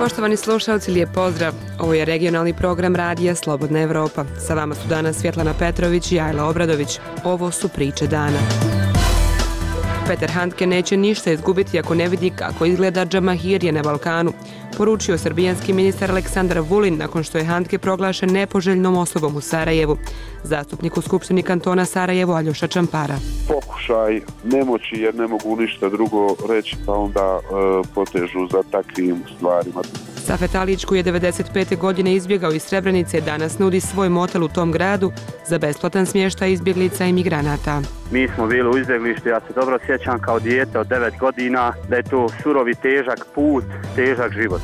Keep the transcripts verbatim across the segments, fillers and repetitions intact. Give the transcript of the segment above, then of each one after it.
Poštovani slušalci, lijep pozdrav. Ovo je regionalni program radija Slobodna Evropa. Sa vama su danas Svjetlana Petrović i Ajla Obradović. Ovo su priče dana. Petar Handke neće ništa izgubiti ako ne vidi kako izgleda džamahirije na Balkanu, poručio srbijanski ministar Aleksandar Vulin nakon što je Handke proglašen nepoželjnom osobom u Sarajevu. Zastupnik u Skupštini kantona Sarajevo Aljoša Čampara. Pokušaj nemoći jer ne mogu ništa drugo reći, pa onda e, potežu za takvim stvarima. Safet Alić, koji je devedeset pete godine izbjegao iz Srebrenice, danas nudi svoj motel u tom gradu za besplatan smještaj izbjeglica i migranata. Mi smo bili u izbjeglištu, ja se dobro sjećam kao dijete od devet godina da je to surovi težak put, težak život.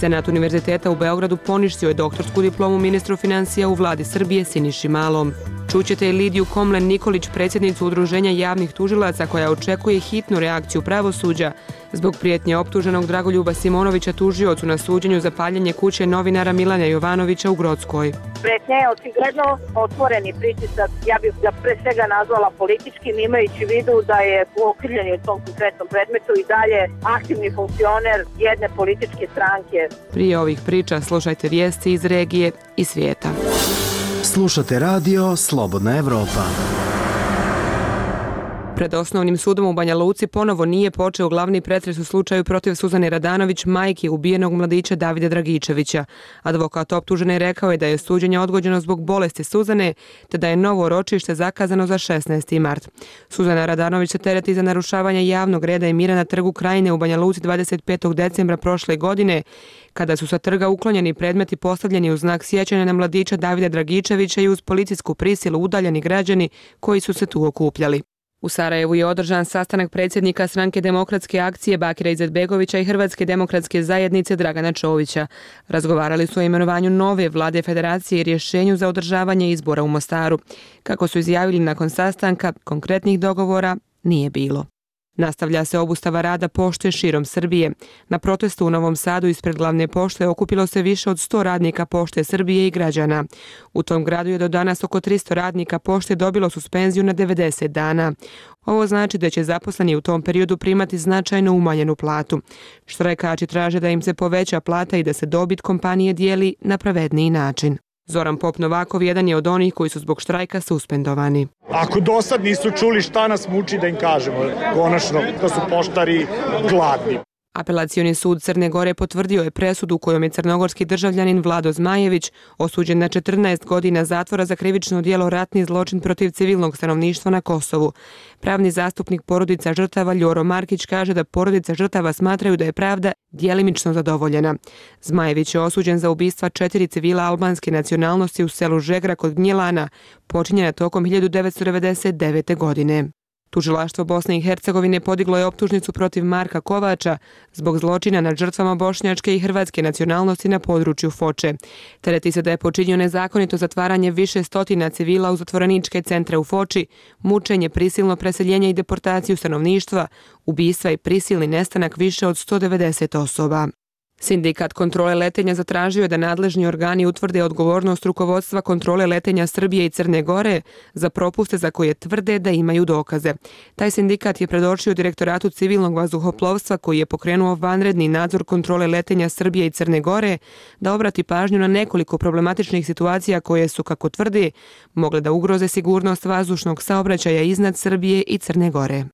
Senat Univerziteta u Beogradu poništio je doktorsku diplomu ministru financija u vladi Srbije Siniši Malom. Čućete i Lidiju Komlen Nikolić, predsjednicu Udruženja javnih tužilaca, koja očekuje hitnu reakciju pravosuđa zbog prijetnje optuženog Dragoljuba Simonovića tužiocu na suđenju za paljenje kuće novinara Milana Jovanovića u Grockoj. Prijetnja je očigledno otvoreni pritisak, ja bih ga pre svega nazvala političkim, imajući vidu da je okrivljeni u tom konkretnom predmetu i dalje aktivni funkcioner jedne političke stranke. Prije ovih priča slušajte vijesti iz regije i svijeta. Slušate radio Slobodna Evropa. Pred osnovnim sudom u Banja Luci ponovo nije počeo glavni pretres u slučaju protiv Suzane Radanović, majke ubijenog mladića Davida Dragičevića. Advokat optužene rekao je da je suđenje odgođeno zbog bolesti Suzane, te da je novo ročište zakazano za šesnaesti mart. Suzana Radanović se tereti za narušavanje javnog reda i mira na trgu Krajine u Banja Luci dvadeset petog decembra prošle godine, kada su sa trga uklonjeni predmeti postavljeni u znak sjećanja na mladića Davida Dragičevića i uz policijsku prisilu udaljeni građani koji su se tu okupljali. U Sarajevu je održan sastanak predsjednika Stranke demokratske akcije Bakira Izetbegovića i Hrvatske demokratske zajednice Dragana Čovića. Razgovarali su o imenovanju nove vlade federacije i rješenju za održavanje izbora u Mostaru. Kako su izjavili nakon sastanka, konkretnih dogovora nije bilo. Nastavlja se obustava rada pošte širom Srbije. Na protestu u Novom Sadu ispred glavne pošte okupilo se više od sto radnika pošte Srbije i građana. U tom gradu je do danas oko tristo radnika pošte dobilo suspenziju na devedeset dana. Ovo znači da će zaposleni u tom periodu primati značajno umanjenu platu. Štrajkači traže da im se poveća plata i da se dobit kompanije dijeli na pravedniji način. Zoran Pop Novakov jedan je od onih koji su zbog štrajka suspendovani. Ako do sad nisu čuli šta nas muči da im kažemo, konačno da su poštari gladni. Apelacioni sud Crne Gore potvrdio je presudu kojom je crnogorski državljanin Vlado Zmajević osuđen na četrnaest godina zatvora za krivično djelo ratni zločin protiv civilnog stanovništva na Kosovu. Pravni zastupnik porodica žrtava Ljoro Markić kaže da porodica žrtava smatraju da je pravda djelimično zadovoljena. Zmajević je osuđen za ubistva četiri civila albanske nacionalnosti u selu Žegra kod Gnjilana, počinjena tokom hiljadu devetsto devedeset devete. godine. Tužilaštvo Bosne i Hercegovine podiglo je optužnicu protiv Marka Kovača zbog zločina nad žrtvama bošnjačke i hrvatske nacionalnosti na području Foče. Tereti se da je počinio nezakonito zatvaranje više stotina civila u zatvoreničke centre u Foči, mučenje, prisilno preseljenje i deportaciju stanovništva, ubistva i prisilni nestanak više od sto devedeset osoba. Sindikat kontrole letenja zatražio je da nadležni organi utvrde odgovornost rukovodstva kontrole letenja Srbije i Crne Gore za propuste za koje tvrde da imaju dokaze. Taj sindikat je predočio Direktoratu civilnog vazduhoplovstva, koji je pokrenuo vanredni nadzor kontrole letenja Srbije i Crne Gore, da obrati pažnju na nekoliko problematičnih situacija koje su, kako tvrde, mogle da ugroze sigurnost vazdušnog saobraćaja iznad Srbije i Crne Gore.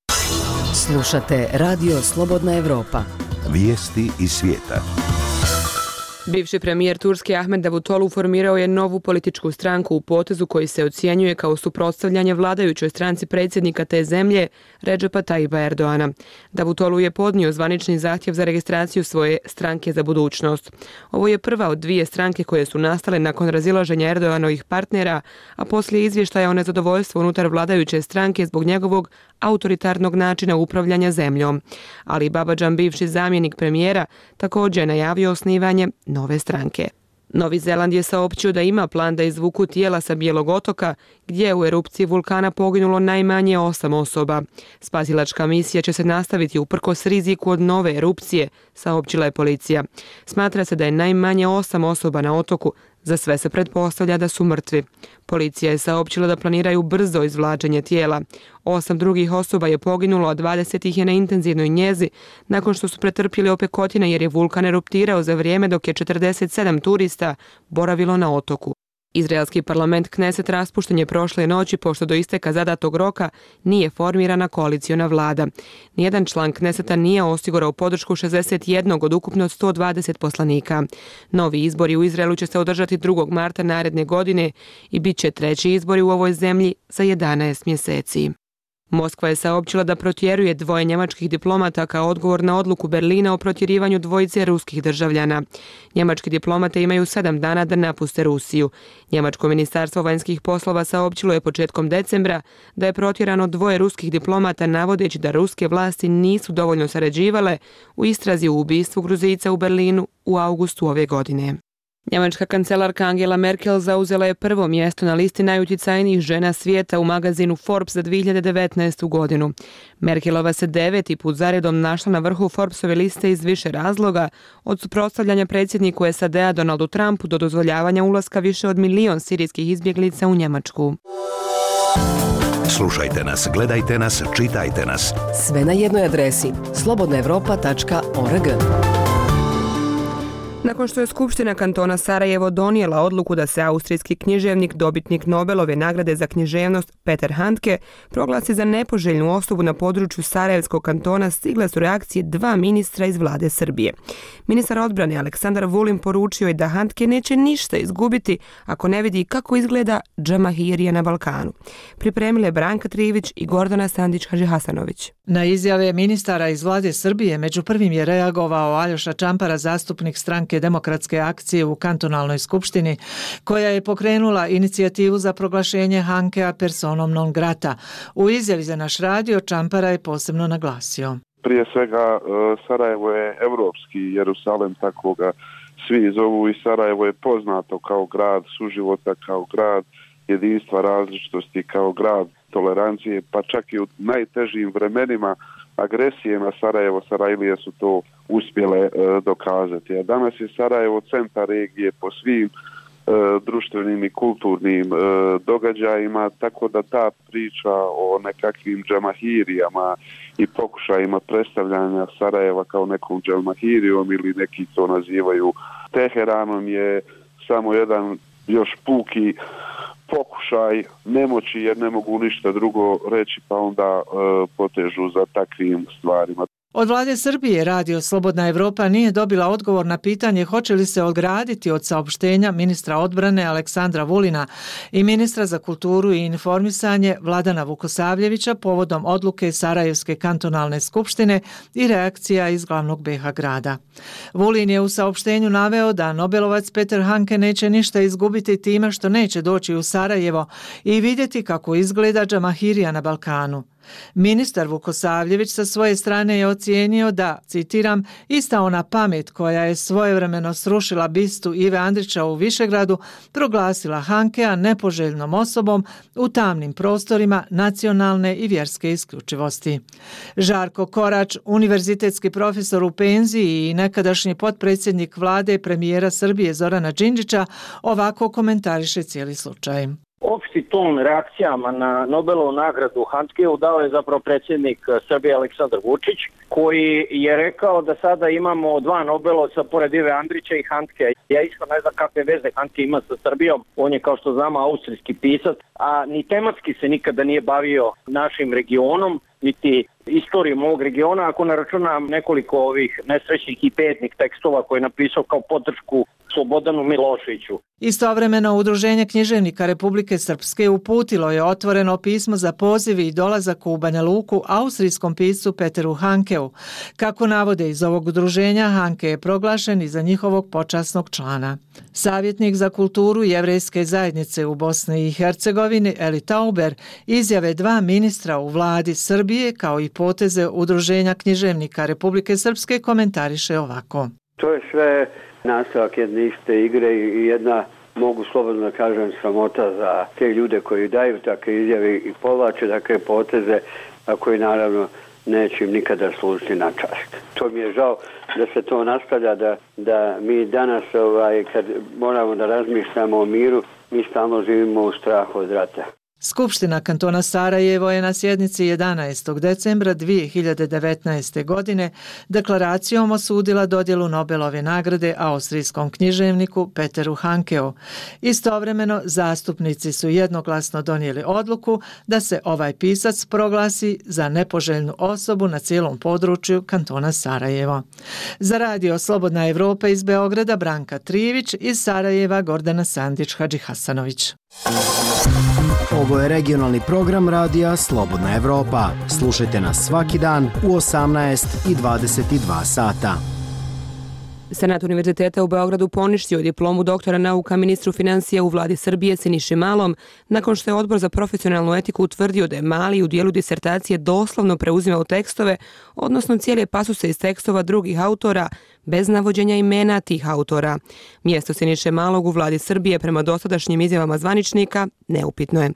Slušate radio Slobodna Evropa. Vijesti iz svijeta. Bivši premijer Turske Ahmed Davutoglu formirao je novu političku stranku u potezu koji se ocjenjuje kao suprotstavljanje vladajućoj stranci predsjednika te zemlje Redžepa Tajipa Erdoana. Davutoglu je podnio zvanični zahtjev za registraciju svoje stranke za budućnost. Ovo je prva od dvije stranke koje su nastale nakon razilaženja Erdoanovih partnera, a poslije izvještaja o nezadovoljstvu unutar vladajuće stranke zbog njegovog autoritarnog načina upravljanja zemljom. Ali Babadžan, bivši zamjenik premijera, također je najavio osnivanje nove stranke. Novi Zeland je saopćio da ima plan da izvuku tijela sa Bijelog otoka, gdje je u erupciji vulkana poginulo najmanje osam osoba. Spasilačka misija će se nastaviti uprkos riziku od nove erupcije, saopćila je policija. Smatra se da je najmanje osam osoba na otoku Za sve se pretpostavlja da su mrtvi. Policija je saopćila da planiraju brzo izvlačenje tijela. Osam drugih osoba je poginulo, a dvadeset ih je na intenzivnoj njezi nakon što su pretrpjeli opekotine jer je vulkan eruptirao za vrijeme dok je četrdeset sedam turista boravilo na otoku. Izraelski parlament Kneset raspušten je prošle noći pošto do isteka zadatog roka nije formirana koaliciona vlada. Nijedan član Kneseta nije osigurao podršku šezdeset jednog od ukupno sto dvadeset poslanika. Novi izbori u Izraelu će se održati drugog marta naredne godine i bit će treći izbori u ovoj zemlji za jedanaest mjeseci. Moskva je saopćila da protjeruje dvoje njemačkih diplomata kao odgovor na odluku Berlina o protjerivanju dvojice ruskih državljana. Njemački diplomate imaju sedam dana da napuste Rusiju. Njemačko ministarstvo vanjskih poslova saopćilo je početkom decembra da je protjerano dvoje ruskih diplomata navodeći da ruske vlasti nisu dovoljno sarađivale u istrazi u ubistvu Gruzijca u Berlinu u avgustu ove godine. Njemačka kancelarka Angela Merkel zauzela je prvo mjesto na listi najutjecajnijih žena svijeta u magazinu Forbes za dvije hiljade devetnaestu. godinu. Merkelova se deveti put zaredom našla na vrhu Forbesove liste iz više razloga, od suprotstavljanja predsjedniku S A D-a Donaldu Trumpu do dozvoljavanja ulaska više od milion sirijskih izbjeglica u Njemačku. Slušajte nas, gledajte nas, čitajte nas. Sve na jednoj adresi slobodna europa tačka org. Nakon što je Skupština kantona Sarajevo donijela odluku da se austrijski književnik, dobitnik Nobelove nagrade za književnost Peter Handke proglasi za nepoželjnu osobu na području Sarajevskog kantona, stigle su reakcije dva ministra iz vlade Srbije. Ministar odbrane Aleksandar Vulin poručio je da Handke neće ništa izgubiti ako ne vidi kako izgleda džamahirija na Balkanu. Pripremile Branka Trivić i Gordana Sandić-Hadžihasanović. Na izjave ministara iz vlade Srbije među prvim je reagovao Aljoša Čampara, zastupnik stranke Demokratske akcije u kantonalnoj skupštini, koja je pokrenula inicijativu za proglašenje Hankea personom non grata. U izjavi za naš radio Čampara je posebno naglasio: prije svega Sarajevo je evropski Jerusalem, tako ga svi zovu, i Sarajevo je poznato kao grad suživota, kao grad jedinstva različitosti, kao grad tolerancije, pa čak i u najtežim vremenima agresije na Sarajevo, Sarajlije su to uspjele e, dokazati. A danas je Sarajevo centar regije po svim e, društvenim i kulturnim e, događajima, tako da ta priča o nekakvim džamahirijama i pokušajima predstavljanja Sarajeva kao nekom džamahirijom ili neki to nazivaju Teheranom je samo jedan još puki pokušaj nemoći jer ne mogu ništa drugo reći, pa onda e, potežu za takvim stvarima. Od vlade Srbije Radio Slobodna Evropa nije dobila odgovor na pitanje hoće li se ograditi od saopštenja ministra odbrane Aleksandra Vulina i ministra za kulturu i informisanje Vladana Vukosavljevića povodom odluke Sarajevske kantonalne skupštine i reakcija iz glavnog be ha grada. Vulin je u saopštenju naveo da Nobelovac Peter Handke neće ništa izgubiti time što neće doći u Sarajevo i vidjeti kako izgleda džamahirija na Balkanu. Ministar Vukosavljević sa svoje strane je ocijenio da, citiram, ista ona pamet koja je svojevremeno srušila bistu Ive Andrića u Višegradu, proglasila Hankea nepoželjnom osobom u tamnim prostorima nacionalne i vjerske isključivosti. Žarko Korać, univerzitetski profesor u penziji i nekadašnji potpredsjednik vlade premijera Srbije Zorana Đinđića, ovako komentariše cijeli slučaj. Opšti ton reakcijama na Nobelovu nagradu Handkeu dao je zapravo predsjednik Srbije Aleksandar Vučić, koji je rekao da sada imamo dva Nobelovca pored Ive Andrića i Handkea. Ja isto ne znam kakve veze Handke ima sa Srbijom, on je kao što znamo austrijski pisac, a ni tematski se nikada nije bavio našim regionom, niti istorijom ovog regiona, ako ne računam nekoliko ovih nesrećnih i petnih tekstova koje je napisao kao podršku Slobodanu Miloševiću. Istovremeno, Udruženje književnika Republike Srpske uputilo je otvoreno pismo za poziv i dolazak u Banja Luku austrijskom piscu Peteru Hankeu. Kako navode iz ovog udruženja, Handke je proglašen i za njihovog počasnog člana. Savjetnik za kulturu jevrejske zajednice u Bosni i Hercegovini Eli Tauber izjave dva ministra u vladi Srbije kao i poteze Udruženja književnika Republike Srpske komentariše ovako. To je sve nastavak jedne iste igre i jedna, mogu slobodno da kažem, sramota za te ljude koji daju takve izjave i povlače takve poteze, a koji naravno neće im nikada služiti na čast. To mi je žao da se to nastavlja, da, da mi danas ovaj, kad moramo da razmišljamo o miru, mi stalno živimo u strahu od rata. Skupština kantona Sarajevo je na sjednici jedanaestog decembra dvije hiljade devetnaeste. godine deklaracijom osudila dodjelu Nobelove nagrade austrijskom književniku Peteru Hankeu. Istovremeno, zastupnici su jednoglasno donijeli odluku da se ovaj pisac proglasi za nepoželjnu osobu na cijelom području kantona Sarajevo. Za radio Slobodna Evropa iz Beograda Branka Trivić, iz Sarajeva Gordana Sandić-Hadžihasanović. Ovo je regionalni program radija Slobodna Evropa. Slušajte nas svaki dan u osamnaest i dvadeset dva sata. Senat Univerziteta u Beogradu poništio diplomu doktora nauka ministru financija u vladi Srbije Siniši Malom, nakon što je Odbor za profesionalnu etiku utvrdio da je Mali u dijelu disertacije doslovno preuzimao tekstove, odnosno cijele pasuse iz tekstova drugih autora, bez navođenja imena tih autora. Mjesto Siniše Malog u vladi Srbije prema dosadašnjim izjavama zvaničnika neupitno je.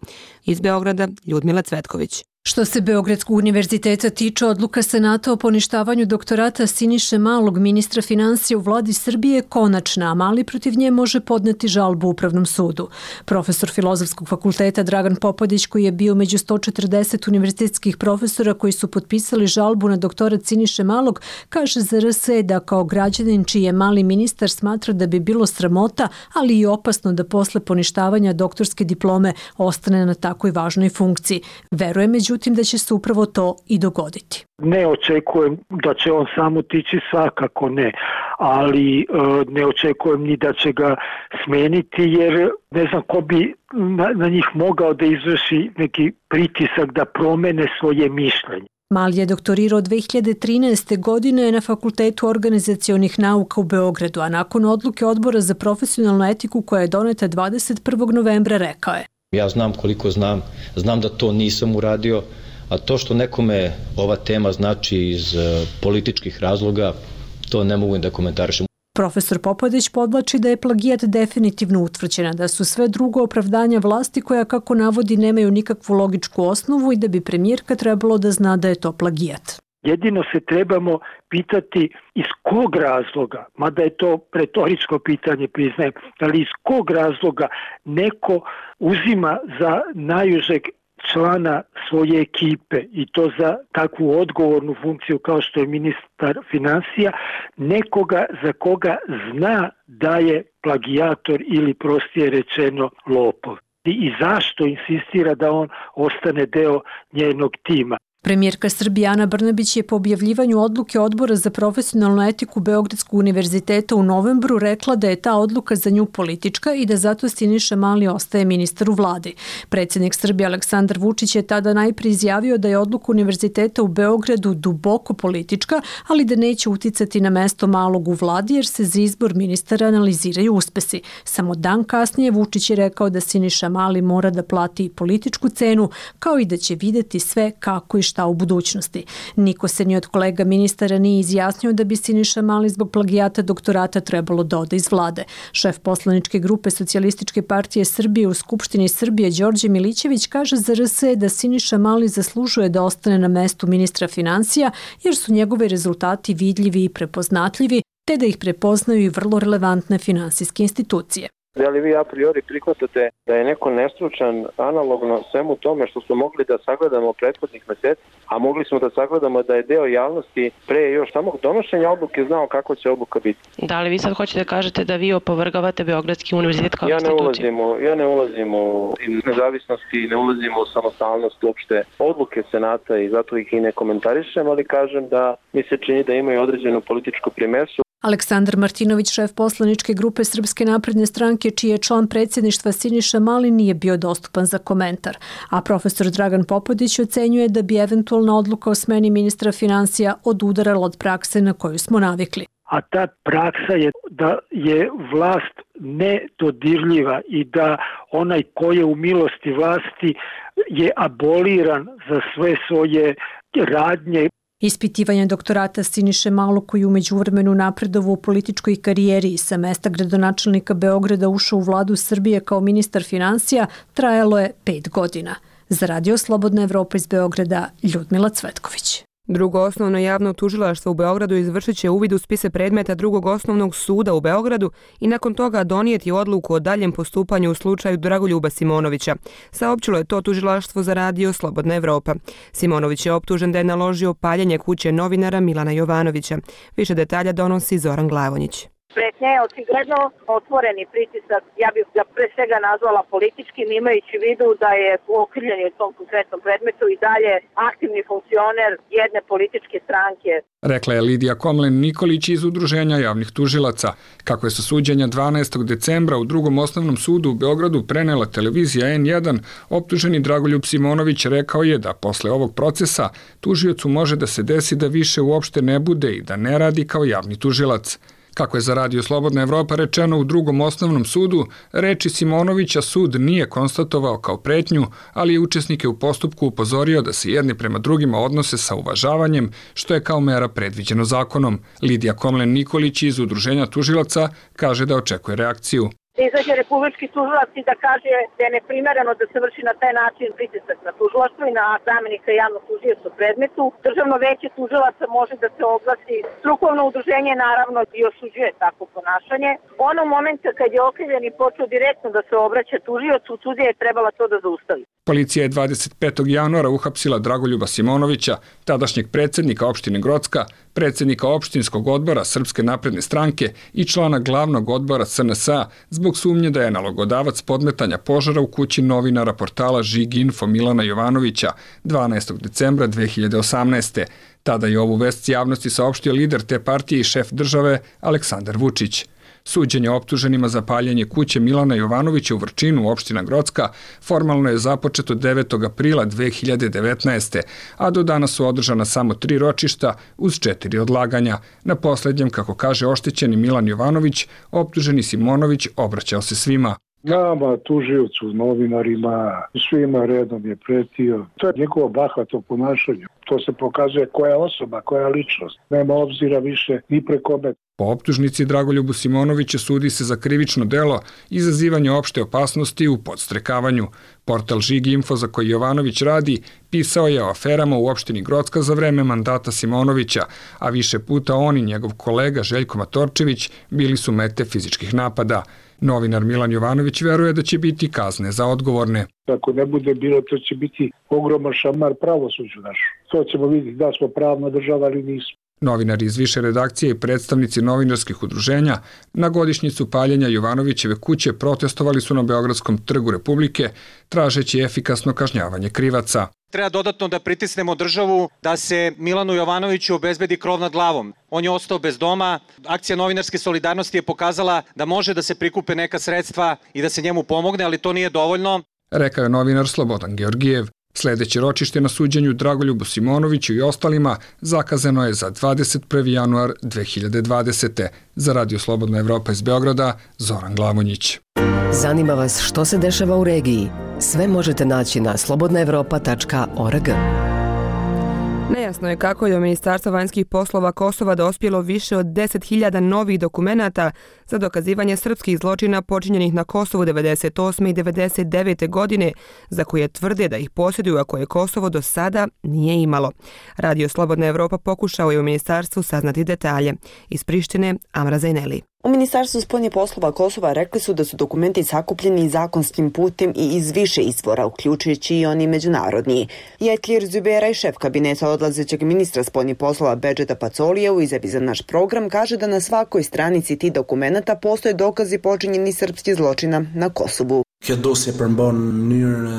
Iz Beograda Ljudmila Cvetković. Što se Beogradskog univerziteta tiče, odluka Senata o poništavanju doktorata Siniše Malog, ministra financija u vladi Srbije, je konačna, a Mali protiv nje može podneti žalbu Upravnom sudu. Profesor Filozofskog fakulteta Dragan Popadić, koji je bio među sto četrdeset univerzitetskih profesora koji su potpisali žalbu na doktorat Siniše Malog, kaže za R S da kao građanin čiji je Mali ministar smatra da bi bilo sramota, ali i opasno da posle poništavanja doktorske diplome ostane na takoj važnoj funkciji. Veruje među Međutim, da će se upravo to i dogoditi. Ne očekujem da će on samo tići, svakako ne, ali e, ne očekujem ni da će ga smeniti, jer ne znam ko bi na, na njih mogao da izvrši neki pritisak da promene svoje mišljenje. Mali je doktorirao dve hiljade trinaeste. godine na Fakultetu organizacionih nauka u Beogradu, a nakon odluke Odbora za profesionalnu etiku koja je doneta dvadeset prvog novembra rekao je: Ja znam koliko znam, znam da to nisam uradio, a to što nekome ova tema znači iz političkih razloga, to ne mogu da komentarišem. Profesor Popadić podvlači da je plagijat definitivno utvrđena, da su sve drugo opravdanja vlasti koja, kako navodi, nemaju nikakvu logičku osnovu i da bi premijerka trebalo da zna da je to plagijat. Jedino se trebamo pitati iz kog razloga, mada je to retoričko pitanje, priznajem, ali iz kog razloga neko uzima za najužeg člana svoje ekipe i to za takvu odgovornu funkciju kao što je ministar financija, nekoga za koga zna da je plagijator ili prostije rečeno lopov. I zašto insistira da on ostane deo njenog tima? Premijerka Srbije Ana Brnabić je po objavljivanju odluke Odbora za profesionalnu etiku Beogradskog univerziteta u novembru rekla da je ta odluka za nju politička i da zato Siniša Mali ostaje ministar u vladi. Predsjednik Srbije Aleksandar Vučić je tada najprije izjavio da je odluka univerziteta u Beogradu duboko politička, ali da neće uticati na mesto Malog u vladi jer se za izbor ministara analiziraju uspesi. Samo dan kasnije Vučić je rekao da Siniša Mali mora da plati političku cenu, kao i da će videti sve kako i šta u budućnosti. Niko se ni od kolega ministara nije izjasnio da bi Siniša Mali zbog plagijata doktorata trebalo da ode iz vlade. Šef poslaničke grupe Socijalističke partije Srbije u Skupštini Srbije Đorđe Milićević kaže za R S da Siniša Mali zaslužuje da ostane na mestu ministra financija jer su njegove rezultati vidljivi i prepoznatljivi, te da ih prepoznaju i vrlo relevantne finansijske institucije. Da li vi a priori prihvatate da je neko nestručan analogno svemu tome što smo mogli da sagledamo prethodnih meseci, a mogli smo da sagledamo da je deo javnosti pre još samog donošenja odluke znao kako će odluka biti? Da li vi sad hoćete da kažete da vi opovrgavate Beogradski univerzitet kao ja ne instituciju? Ulazim u, ja ne ulazim u nezavisnosti, ne ulazim u samostalnost uopšte odluke Senata i zato ih i ne komentarišem, ali kažem da mi se čini da imaju određenu političku primesu. Aleksandar Martinović, šef poslaničke grupe Srpske napredne stranke, čiji je član predsjedništva Siniša Mali, nije bio dostupan za komentar. A profesor Dragan Popadić ocenjuje da bi eventualna odluka o smeni ministra financija odudarala od prakse na koju smo navikli. A ta praksa je da je vlast nedodirljiva i da onaj ko je u milosti vlasti je aboliran za sve svoje radnje. Ispitivanje doktorata Siniše Malog, koji u međuvremenu napredovao u političkoj karijeri i sa mesta gradonačelnika Beograda ušao u vladu Srbije kao ministar financija, trajalo je pet godina. Za radio Slobodna Evropa iz Beograda, Ljudmila Cvetković. Drugo osnovno javno tužilaštvo u Beogradu izvršit će uvid u spise predmeta drugog osnovnog suda u Beogradu i nakon toga donijeti odluku o daljem postupanju u slučaju Dragoljuba Simonovića. Saopćilo je to tužilaštvo za radio Slobodna Evropa. Simonović je optužen da je naložio paljenje kuće novinara Milana Jovanovića. Više detalja donosi Zoran Glavonjić. Pretnja je očigledno otvoreni pritisak, ja bih ga pre svega nazvala političkim, imajući u vidu da je okrivljeni u tom konkretnom predmetu i dalje aktivni funkcioner jedne političke stranke. Rekla je Lidija Komlen-Nikolić iz Udruženja javnih tužilaca. Kako je sa suđenja dvanaestog decembra u drugom osnovnom sudu u Beogradu prenela televizija en jedan, optuženi Dragoljub Simonović rekao je da posle ovog procesa tužiocu može da se desi da više uopšte ne bude i da ne radi kao javni tužilac. Kako je za radio Slobodna Evropa rečeno u drugom osnovnom sudu, reči Simonovića sud nije konstatovao kao pretnju, ali je učesnike u postupku upozorio da se jedni prema drugima odnose sa uvažavanjem, što je kao mera predviđeno zakonom. Lidija Komlen-Nikolić iz Udruženja tužilaca kaže da očekuje reakciju. Da izađe republički tužilac i da kaže da je neprimereno da se vrši na taj način pritisak na tužilaštvo i na zamenika javnog tužioca u predmetu. Državno veće tužilaca može da se oglasi. Strukovno udruženje naravno i osuđuje takvo ponašanje. Onog momenta kad je okrivljeni počeo direktno da se obraća tužiocu, sudija je trebala to da zaustavi. Policija je dvadeset petog januara uhapsila Dragoljuba Simonovića, tadašnjeg predsjednika opštine Grocka, predsjednika opštinskog odbora Srpske napredne stranke i člana glavnog odbora es en es a zbog sumnje da je nalogodavac podmetanja požara u kući novinara portala Žig Info Milana Jovanovića dvanaestog decembra dve hiljade osamnaeste. Tada je ovu vest javnosti saopštio lider te partije i šef države Aleksandar Vučić. Suđenje optuženima za paljenje kuće Milana Jovanovića u Vrčinu, opština Grocka, formalno je započeto devetog aprila dve hiljade devetnaeste. a do danas su održana samo tri ročišta uz četiri odlaganja. Na poslednjem, kako kaže oštećeni Milan Jovanović, optuženi Simonović obraćao se svima. Nama, tužiocu, novinarima, svima redom je pretio. To je njegovo bahato ponašanje. To se pokazuje koja je osoba, koja je ličnost. Nema obzira više ni preko me. Po optužnici Dragoljubu Simonoviću sudi se za krivično delo izazivanje opšte opasnosti u podstrekavanju. Portal Žig Info za koji Jovanović radi pisao je o aferama u opštini Grocka za vreme mandata Simonovića, a više puta on i njegov kolega Željko Matorčević bili su mete fizičkih napada. Novinar Milan Jovanović veruje da će biti kazne za odgovorne. Ako ne bude bilo, to će biti ogroman šamar pravosuđu našu. To ćemo vidjeti da smo pravna država ili nismo. Novinari iz više redakcije i predstavnici novinarskih udruženja na godišnjicu paljenja Jovanovićeve kuće protestovali su na Beogradskom trgu Republike, tražeći efikasno kažnjavanje krivaca. Treba dodatno da pritisnemo državu da se Milanu Jovanoviću obezbedi krov nad glavom. On je ostao bez doma. Akcija novinarske solidarnosti je pokazala da može da se prikupe neka sredstva i da se njemu pomogne, ali to nije dovoljno. Rekao je novinar Slobodan Georgijev. Sljedeće ročište na suđenju Dragoljubu Simonoviću i ostalima zakazano je za dvadeset prvi januar dve hiljade dvadesete. Za radio Slobodna Evropa iz Beograda, Zoran Glavonjić. Zanima vas što se dešava u regiji? Sve možete naći na slobodna evropa tačka org. Nejasno je kako je do Ministarstva vanjskih poslova Kosova dospjelo više od deset hiljada novih dokumenata za dokazivanje srpskih zločina počinjenih na Kosovu devedeset osme i devedeset devete godine, za koje tvrde da ih posjeduju, a koje Kosovo do sada nije imalo. Radio Slobodna Evropa pokušao je u ministarstvu saznati detalje. Iz Prištine, Amra Zajneli. U Ministarstvu spoljnih poslova Kosova rekli su da su dokumenti sakupljeni zakonskim putem i iz više izvora, uključujući i oni međunarodni. Jetlir Zuberaj, šef kabineta odlazećeg ministra spoljnih poslova Bedžeta Pacolija, u izjavi za naš program kaže da na svakoj stranici tih dokumenata postoje dokazi počinjenih srpskih zločina na Kosovu.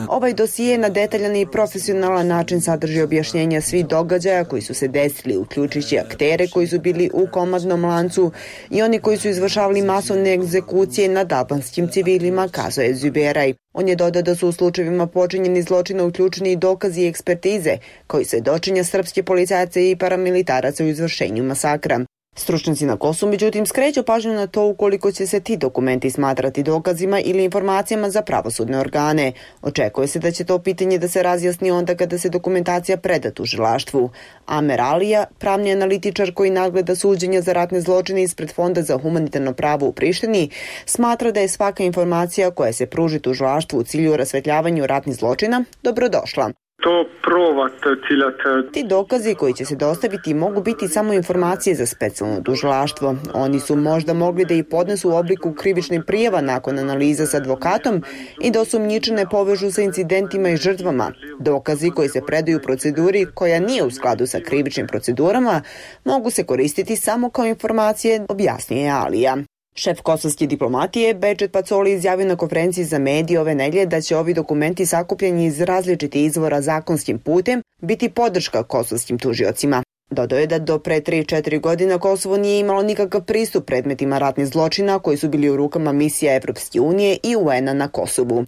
Ovaj dosije na detaljan i profesionalan način sadrži objašnjenja svih događaja koji su se desili, uključujući aktere koji su bili u komandnom lancu i oni koji su izvršavali masovne egzekucije nad albanskim civilima, kazao je Zuberaj. On je dodao da su u slučajevima počinjeni zločina uključeni i dokazi i ekspertize, koji svedočenja srpske policajce i paramilitaraca u izvršenju masakra. Stručnjaci na Kosovu, međutim, skreću pažnju na to ukoliko će se ti dokumenti smatrati dokazima ili informacijama za pravosudne organe. Očekuje se da će to pitanje da se razjasni onda kada se dokumentacija preda tužilaštvu. Amer Alija, pravni analitičar koji nagleda suđenja za ratne zločine ispred Fonda za humanitarno pravo u Prištini, smatra da je svaka informacija koja se pruži tužilaštvu u cilju rasvetljavanju ratnih zločina dobrodošla. to provat ciljat. Ti dokazi koji će se dostaviti mogu biti samo informacije za specijalno tužilaštvo. Oni su možda mogli da ih podnesu u obliku krivičnih prijava nakon analiza sa advokatom i da osumnjičene povežu sa incidentima i žrtvama. Dokazi koji se predaju u proceduri koja nije u skladu sa krivičnim procedurama mogu se koristiti samo kao informacije, objasnio je Alija. Šef kosovske diplomatije Behçet Pacoli izjavio na konferenciji za medije ove nedelje da će ovi dokumenti sakupljeni iz različitih izvora zakonskim putem biti podrška kosovskim tužiocima. Dodao je da do pre tri četiri godina Kosovo nije imalo nikakav pristup predmetima ratnih zločina koji su bili u rukama misija Evropske unije i U N-a na Kosovu.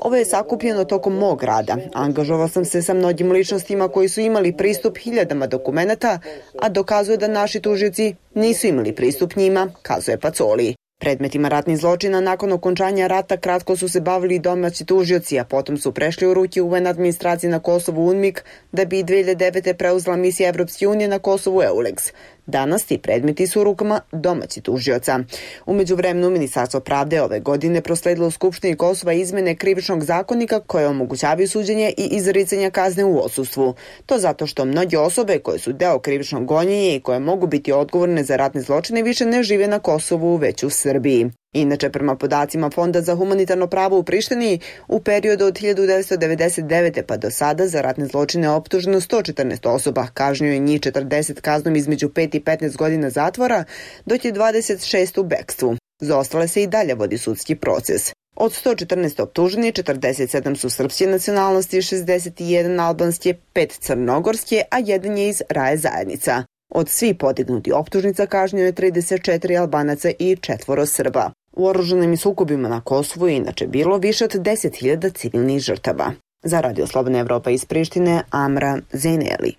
Ovo je sakupljeno tokom mog rada. Angažovao sam se sa mnogim ličnostima koji su imali pristup hiljadama dokumenata, a dokazuje da naši tužioci nisu imali pristup njima, kazuje Pacoli. Predmetima ratnih zločina nakon okončanja rata kratko su se bavili domaći tužioci, a potom su prešli u ruke U N administracije na Kosovu UNMIK, da bi dve hiljade devete. preuzela misija Evropske unije na Kosovu EULEX. Danas ti predmeti su u rukama domaći tužioca. U međuvremenu Ministarstvo pravde ove godine prosledilo u Skupštini Kosova izmene krivičnog zakonika koje omogućavaju suđenje i izricanje kazne u odsustvu. To zato što mnoge osobe koje su deo krivičnog gonjenja i koje mogu biti odgovorne za ratne zločine više ne žive na Kosovu, već u Srbiji. Inače, prema podacima Fonda za humanitarno pravo u Prištini, u periodu od hiljadu devetsto devedeset devete. pa do sada za ratne zločine optuženo sto četrnaest osoba, kažnjeno je njih četrdeset kaznom između pet i petnaest godina zatvora, dok je dvadeset šest u bekstvu. Za ostale se i dalje vodi sudski proces. Od sto četrnaest optuženih, četrdeset sedam su srpske nacionalnosti, šezdeset jedan albanske, pet crnogorske, a jedan je iz Raje zajednica. Od svih podignuti optužnica kažnjeno je trideset četiri Albanaca i četvoro Srba. U oružanim sukobima na Kosovu je inače bilo više od deset hiljada civilnih žrtava. Za Radio Slobodna Evropa iz Prištine, Amra Zeneli.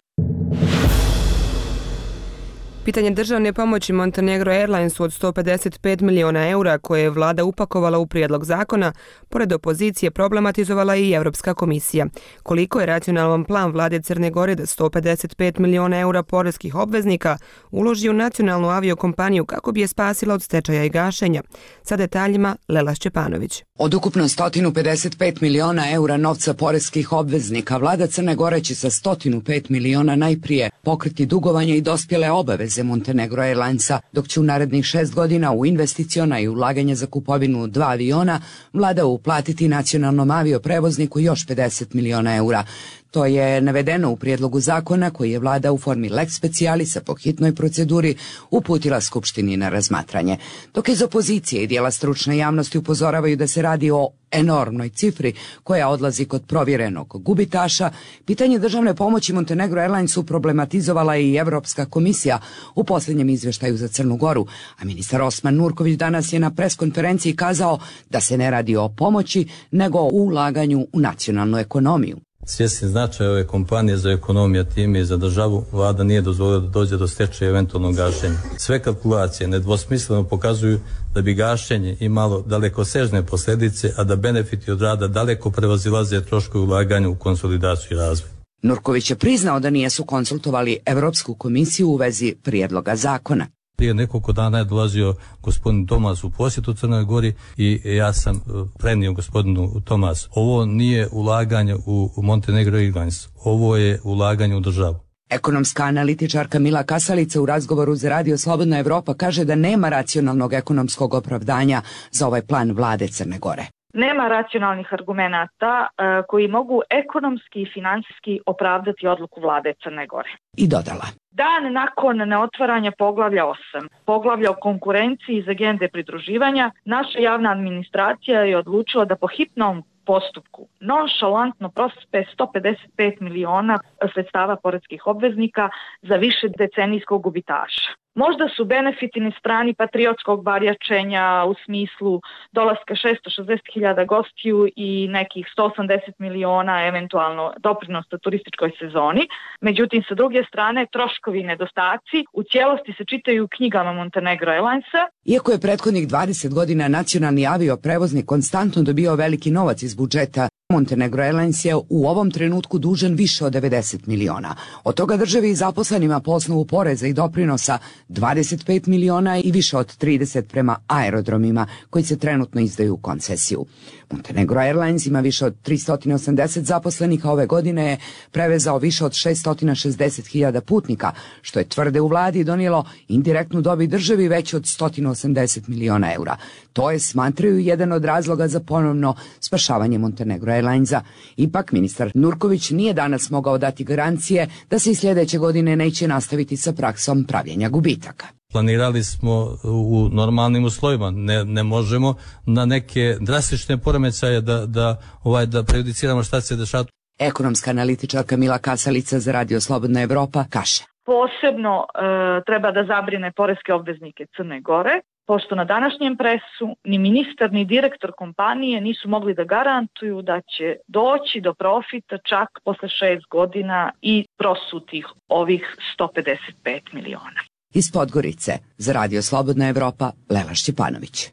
Pitanje državne pomoći Montenegro Airlinesu od sto pedeset pet miliona eura koje je vlada upakovala u prijedlog zakona, pored opozicije problematizovala i Evropska komisija. Koliko je racionalan plan vlade Crne Gore da sto pedeset pet miliona eura poreskih obveznika uloži u nacionalnu aviokompaniju kako bi je spasila od stečaja i gašenja? Sa detaljima Lela Šćepanović. Od ukupno sto pedeset pet miliona eura novca poreskih obveznika, vlada Crne Gore će sa sto pet miliona najprije pokriti dugovanje i dospjele obaveze Montenegro Airlinesa, dok će u narednih šest godina u investiciona i ulaganje za kupovinu dva aviona vlada uplatiti nacionalnom avioprevozniku još pedeset miliona eura. To je navedeno u prijedlogu zakona koji je vlada u formi lex specialisa po hitnoj proceduri uputila Skupštini na razmatranje. Dok iz opozicije i dijela stručne javnosti upozoravaju da se radi o enormnoj cifri koja odlazi kod provjerenog gubitaša, pitanje državne pomoći Montenegro Airlinesu problematizovala i Evropska komisija u posljednjem izvještaju za Crnu Goru, a ministar Osman Nurković danas je na preskonferenciji kazao da se ne radi o pomoći, nego o ulaganju u nacionalnu ekonomiju. Svjesni značaja ove kompanije za ekonomiju, time i za državu, vlada nije dozvolila da dođe do stečaja i eventualnog gašenja. Sve kalkulacije nedvosmisleno pokazuju da bi gašenje imalo dalekosežne posljedice, a da benefiti od rada daleko prevazilaze troškovi ulaganja u konsolidaciju i razvoj. Nurković je priznao da nisu konsultovali Evropsku komisiju u vezi prijedloga zakona. Prije nekoliko dana je dolazio gospodin Tomas u posjetu Crnoj Gori i ja sam prenio gospodinu Tomas. Ovo nije ulaganje u Montenegro Airlines, ovo je ulaganje u državu. Ekonomska analitičarka Mila Kasalica u razgovoru za Radio Slobodna Evropa kaže da nema racionalnog ekonomskog opravdanja za ovaj plan vlade Crne Gore. Nema racionalnih argumenata uh, koji mogu ekonomski i finansijski opravdati odluku vlade Crne Gore. I dodala. Dan nakon neotvaranja poglavlja osam, poglavlja o konkurenciji iz agende pridruživanja, naša javna administracija je odlučila da po hitnom postupku nonšalantno prospe sto pedeset pet miliona sredstava poreskih obveznika za više decenijskog gubitaša. Možda su benefiti na strani patriotskog barjačenja u smislu dolaska šesto šezdeset hiljada gostiju i nekih sto osamdeset miliona eventualno doprinosa turističkoj sezoni. Međutim, sa druge strane, troškovi i nedostaci u cijelosti se čitaju u knjigama Montenegro Airlinesa. Iako je prethodnih dvadeset godina nacionalni avioprevoznik konstantno dobio veliki novac iz budžeta, Montenegro Airlines je u ovom trenutku dužan više od devedeset miliona. Od toga državi i zaposlenima po osnovu poreza i doprinosa dvadeset pet miliona i više od trideset prema aerodromima koji se trenutno izdaju u koncesiju. Montenegro Airlines ima više od tristo osamdeset zaposlenih, a ove godine je prevezao više od šesto šezdeset hiljada putnika, što je tvrde u vladi donijelo indirektnu dobit državi veću od sto osamdeset miliona eura. To je, smatraju, jedan od razloga za ponovno spašavanje Montenegro Airlinesa. Ipak, ministar Nurković nije danas mogao dati garancije da se i sljedeće godine neće nastaviti sa praksom pravljenja gubitaka. Planirali smo u normalnim uslovima, ne, ne možemo na neke drastične poremećaje da, da, ovaj, da prejudiciramo šta se dešava. Ekonomska analitičarka Mila Kasalica za Radio Slobodna Evropa kaže. Posebno e, treba da zabrine poreske obveznike Crne Gore, pošto na današnjem presu ni ministar ni direktor kompanije nisu mogli da garantuju da će doći do profita čak posle šest godina i prosutih ovih sto pedeset pet miliona. Iz Podgorice za Radio Slobodna Evropa, Lela Šćepanović.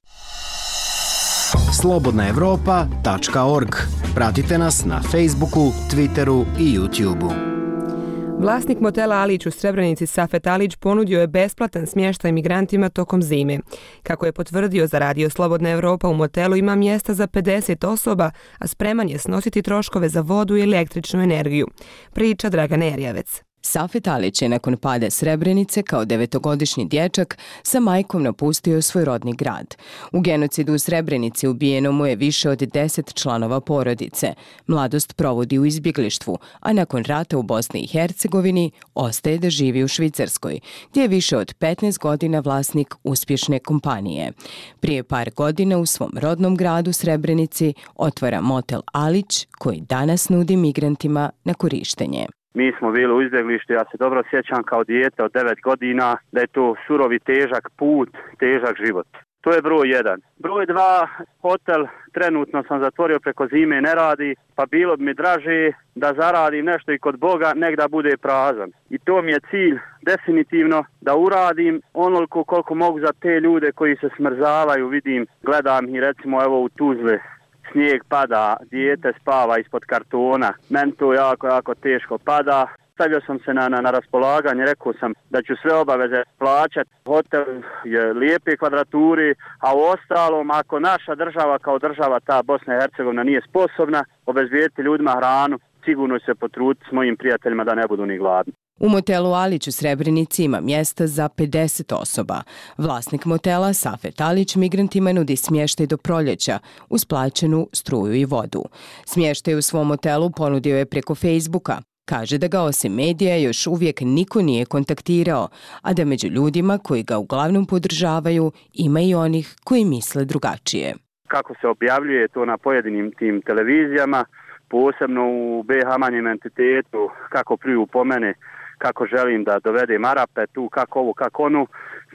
slobodna evropa tačka org. Pratite nas na Facebooku, Twitteru i YouTubeu. Vlasnik motela Alić u Srebrenici Safet Alić ponudio je besplatan smještaj migrantima tokom zime. Kako je potvrdio za Radio Slobodna Evropa, u motelu ima mjesta za pedeset osoba, a spreman je snositi troškove za vodu i električnu energiju. Priča Dragan Erjavec. Safet Alić je nakon pada Srebrenice kao devetogodišnji dječak sa majkom napustio svoj rodni grad. U genocidu u Srebrenici ubijeno mu je više od deset članova porodice. Mladost provodi u izbjeglištvu, a nakon rata u Bosni i Hercegovini ostaje da živi u Švicarskoj, gdje je više od petnaest godina vlasnik uspješne kompanije. Prije par godina u svom rodnom gradu Srebrenici otvara motel Alić, koji danas nudi migrantima na korištenje. Mi smo bili u izbjeglištu, ja se dobro sjećam kao dijete od devet godina da je to surovi težak put, težak život. To je broj jedan. Broj dva, hotel trenutno sam zatvorio preko zime, ne radi, pa bilo bi mi draže da zaradim nešto i kod Boga, nek da bude prazan. I to mi je cilj definitivno da uradim onoliko koliko mogu za te ljude koji se smrzavaju, vidim, gledam i recimo evo u Tuzli. Snijeg pada, dijete spava ispod kartona, meni to jako, jako teško pada. Stavio sam se na, na, na raspolaganje, rekao sam da ću sve obaveze plaćati. Hotel je lijepe kvadraturi, a u ostalom, ako naša država kao država, ta Bosna i Hercegovina, nije sposobna obezbijediti ljudima hranu, sigurno se potruditi s mojim prijateljima da ne budu ni gladni. U motelu Alić u Srebrenici ima mjesta za pedeset osoba. Vlasnik motela Safet Alić migrantima nudi smještaj do proljeća uz plaćenu struju i vodu. Smještaj u svom motelu ponudio je preko Facebooka. Kaže da ga osim medija još uvijek niko nije kontaktirao, a da među ljudima koji ga uglavnom podržavaju ima i onih koji misle drugačije. Kako se objavljuje to na pojedinim tim televizijama, posebno u B H manjem entitetu, kako pljuju po mene, kako želim da dovedem Arape tu, kako ovo, kako onu.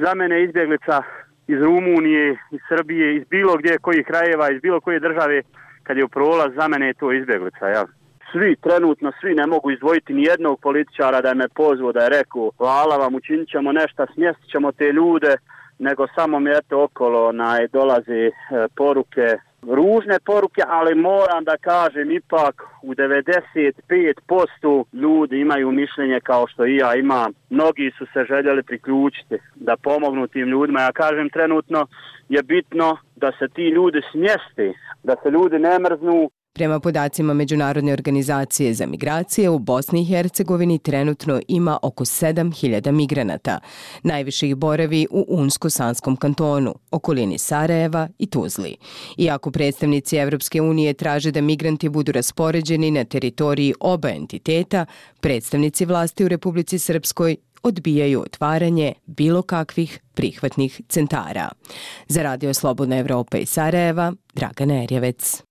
Za mene izbjeglica iz Rumunije, iz Srbije, iz bilo gdje, kojih krajeva, iz bilo koje države, kad je u prolaz, za mene je to izbjeglica, jel? Svi, trenutno svi ne mogu izdvojiti ni jednog političara da je me pozvao, da je rekao hvala vam, učinit ćemo nešto, smjestit ćemo te ljude, nego samo mi eto okolo naj, dolaze e, poruke, ružne poruke, ali moram da kažem ipak u devedeset pet posto ljudi imaju mišljenje kao što i ja imam. Mnogi su se željeli priključiti da pomognu tim ljudima. Ja kažem trenutno je bitno da se ti ljudi smjeste, da se ljudi ne mrznu. Prema podacima Međunarodne organizacije za migracije, u Bosni i Hercegovini trenutno ima oko sedam hiljada migranata. Najviše ih boravi u Unsko-Sanskom kantonu, okolini Sarajeva i Tuzli. Iako predstavnici Evropske unije traže da migranti budu raspoređeni na teritoriji oba entiteta, predstavnici vlasti u Republici Srpskoj odbijaju otvaranje bilo kakvih prihvatnih centara. Za Radio Slobodna Evropa iz Sarajeva, Dragana Erjavec.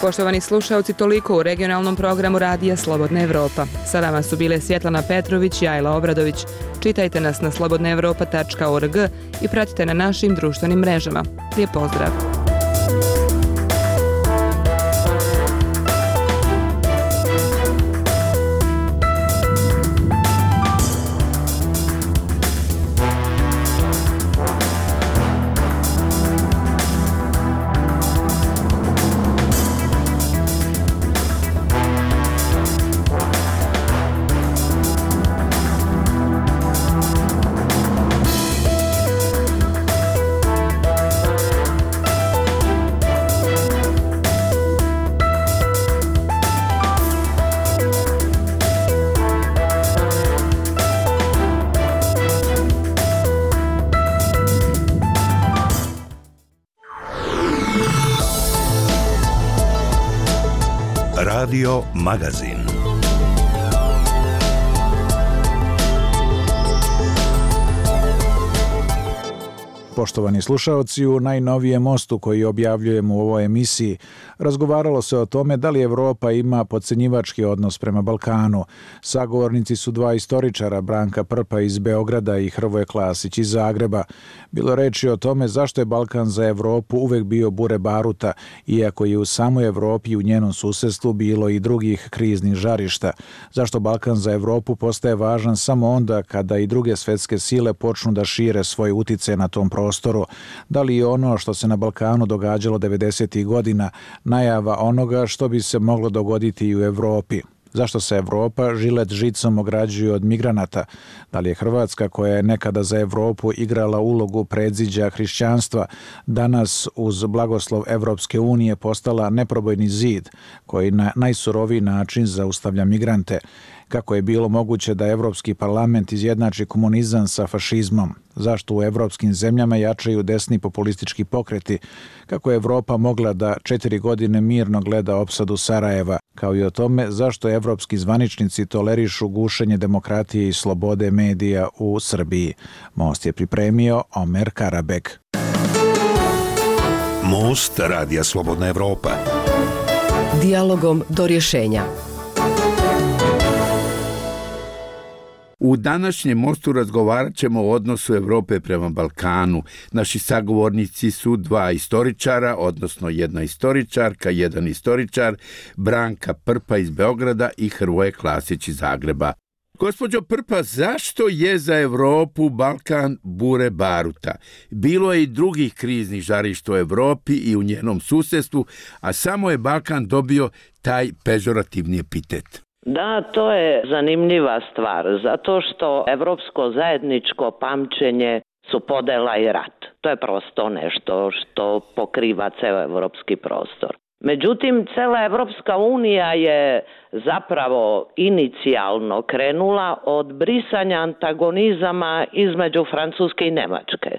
Poštovani slušalci, toliko u regionalnom programu Radija Slobodna Evropa. Sa vama su bile Svjetlana Petrović i Ajla Obradović. Čitajte nas na slobodna evropa tačka org i pratite na našim društvenim mrežama. Lijep pozdrav! Radio Magazin. Poštovani slušaoci, u najnovijem mostu koji objavljujemo u ovoj emisiji razgovaralo se o tome da li Evropa ima podcenjivački odnos prema Balkanu. Sagovornici su dva istoričara, Branka Prpa iz Beograda i Hrvoje Klasić iz Zagreba. Bilo reči o tome zašto je Balkan za Evropu uvek bio bure baruta, iako je u samoj Evropi i u njenom susedstvu bilo i drugih kriznih žarišta. Zašto Balkan za Evropu postaje važan samo onda kada i druge svetske sile počnu da šire svoj utice na tom prostoru. prostoru. Da li je ono što se na Balkanu događalo devedesetih godina najava onoga što bi se moglo dogoditi i u Evropi? Zašto se Evropa žilet žicom ograđuje od migranata? Da li je Hrvatska, koja je nekada za Evropu igrala ulogu predziđa hrišćanstva, danas uz blagoslov Evropske unije postala neprobojni zid koji na najsuroviji način zaustavlja migrante? Kako je bilo moguće da Evropski parlament izjednači komunizam sa fašizmom? Zašto u evropskim zemljama jačaju desni populistički pokreti? Kako je Evropa mogla da četiri godine mirno gleda opsadu Sarajeva? Kao i o tome zašto evropski zvaničnici tolerišu gušenje demokratije i slobode medija u Srbiji. Most je pripremio Omer Karabek. Most Radija Slobodna Evropa. Dijalogom do rješenja. U današnjem mostu razgovarat ćemo o odnosu Evrope prema Balkanu. Naši sagovornici su dva istoričara, odnosno jedna istoričarka, jedan istoričar, Branka Prpa iz Beograda i Hrvoje Klasić iz Zagreba. Gospođo Prpa, zašto je za Evropu Balkan bure baruta? Bilo je i drugih kriznih žarišta u Evropi i u njenom susedstvu, a samo je Balkan dobio taj pežorativni epitet. Da, to je zanimljiva stvar, zato što evropsko zajedničko pamćenje su podela i rat. To je prosto nešto što pokriva ceo evropski prostor. Međutim, cela Evropska unija je zapravo inicijalno krenula od brisanja antagonizama između Francuske i Nemačke.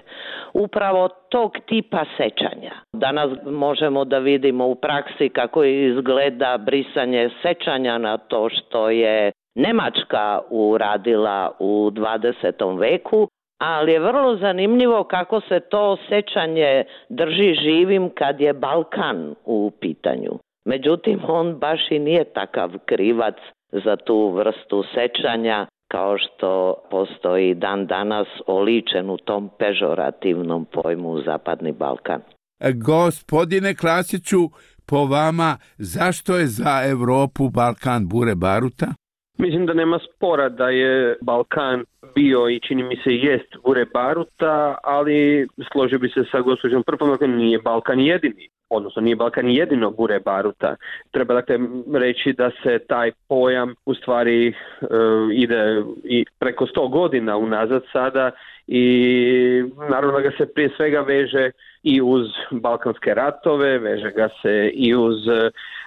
Upravo tog tipa sećanja. Danas možemo da vidimo u praksi kako izgleda brisanje sećanja na to što je Nemačka uradila u dvadesetom veku, ali je vrlo zanimljivo kako se to sećanje drži živim kad je Balkan u pitanju. Međutim, on baš i nije takav krivac za tu vrstu sećanja kao što postoji dan danas oličen u tom pežorativnom pojmu Zapadni Balkan. Gospodine Klasiću, po vama, zašto je za Evropu Balkan bure baruta? Mislim da nema spora da je Balkan bio i čini mi se jest bure baruta, ali složio bi se sa gospođom Prpom, dakle nije Balkan jedini, odnosno nije Balkan jedino bure baruta. Treba dakle reći da se taj pojam u stvari e, ide i preko sto godina unazad sada i naravno da ga se prije svega veže i uz balkanske ratove, veže ga se i uz,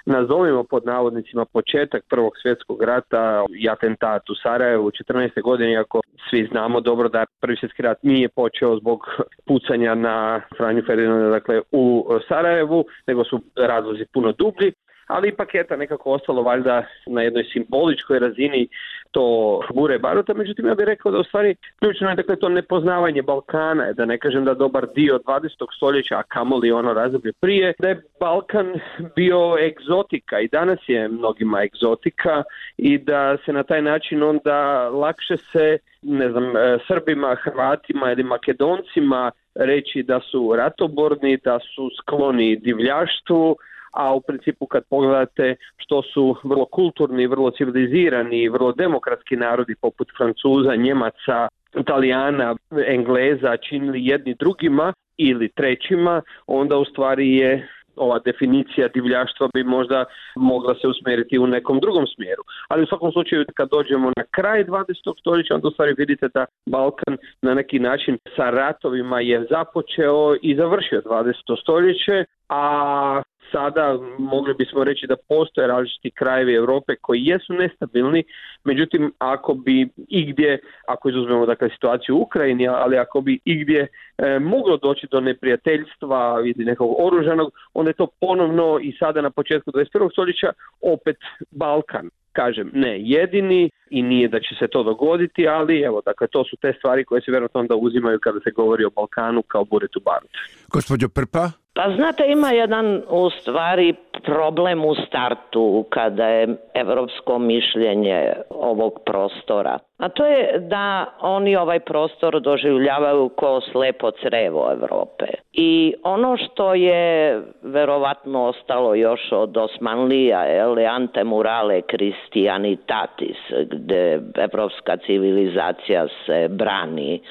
nazovimo pod navodnicima, početak Prvog svjetskog rata i atentat u Sarajevu u četrnaeste godine, iako svi znamo dobro da Prvi svjetski rat nije počeo zbog pucanja na Franju Ferdinanda, dakle u Sarajevu, nego su razlozi puno dublji. Ali ipak je to nekako ostalo valjda na jednoj simboličkoj razini to bure baruta. Međutim, ja bih rekao da u stvari ključno je dakle to nepoznavanje Balkana, da ne kažem da dobar dio dvadesetog stoljeća, a kamoli ono razdoblje prije, da je Balkan bio egzotika i danas je mnogima egzotika i da se na taj način onda lakše se, ne znam, Srbima, Hrvatima ili Makedoncima reći da su ratoborni, da su skloni divljaštvu, a u principu kad pogledate što su vrlo kulturni, vrlo civilizirani, vrlo demokratski narodi poput Francuza, Njemaca, Italijana, Engleza činili jedni drugima ili trećima, onda u stvari je ova definicija divljaštva bi možda mogla se usmjeriti u nekom drugom smjeru. Ali u svakom slučaju kad dođemo na kraj dvadesetog stoljeća, onda u stvari vidite da Balkan na neki način sa ratovima je započeo i završio dvadeseto stoljeće, a sada mogli bismo reći da postoje različiti krajevi Europe koji jesu nestabilni, međutim ako bi igdje, ako izuzmemo dakle situaciju u Ukrajini, ali ako bi igdje e, moglo doći do neprijateljstva ili nekog oružanog, onda je to ponovno i sada na početku dvadeset prvog stoljeća opet Balkan. Kažem, ne jedini i nije da će se to dogoditi, ali evo, dakle, to su te stvari koje se vjerojatno onda uzimaju kada se govori o Balkanu kao buretu barut. Gospođo Prpa? Pa znate, ima jedan u stvari problem u startu kada je evropsko mišljenje ovog prostora. A to je da oni ovaj prostor doživljavaju kao slepo crevo Evrope. I ono što je verovatno ostalo još od Osmanlija, ele ante murale Christianitatis, gde evropska civilizacija se brani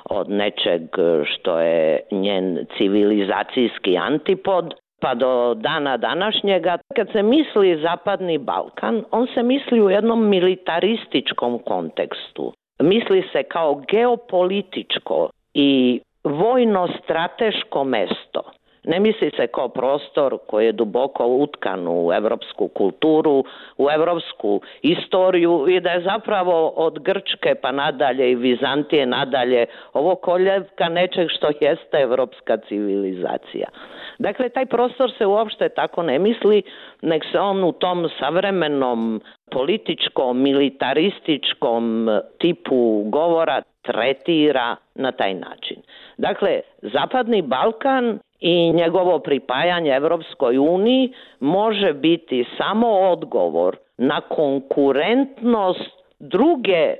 od nečeg što je njen civilizacijski antipod, pa do dana današnjega. Kad se misli Zapadni Balkan, on se misli u jednom militarističkom kontekstu. Misli se kao geopolitičko i vojno-strateško mesto. Ne misli se kao prostor koji je duboko utkan u evropsku kulturu, u evropsku istoriju i da je zapravo od Grčke pa nadalje i Vizantije nadalje ovo koljevka nečeg što jeste evropska civilizacija. Dakle, taj prostor se uopšte tako ne misli, nek se on u tom savremenom političkom, militarističkom tipu govora tretira na taj način. Dakle, Zapadni Balkan i njegovo pripajanje Evropskoj uniji može biti samo odgovor na konkurentnost druge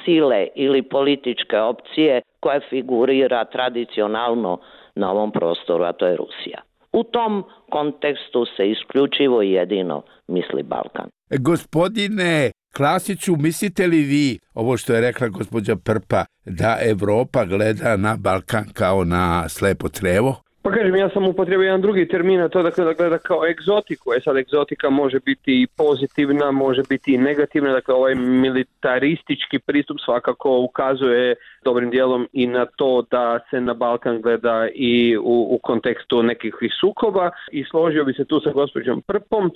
sile ili političke opcije koja figurira tradicionalno na ovom prostoru, a to je Rusija. U tom kontekstu se isključivo i jedino misli Balkan. Gospodine Klasiću, mislite li vi, ovo što je rekla gospođa Prpa, da Evropa gleda na Balkan kao na slepo crevo? Pa kažem, ja sam upotrebio jedan drugi termin, a to dakle da gleda kao egzotiku. E sad, egzotika može biti i pozitivna, može biti i negativna. Dakle, ovaj militaristički pristup svakako ukazuje dobrim dijelom i na to da se na Balkan gleda i u, u kontekstu nekih sukoba. I složio bi se tu sa gospođom Prpom.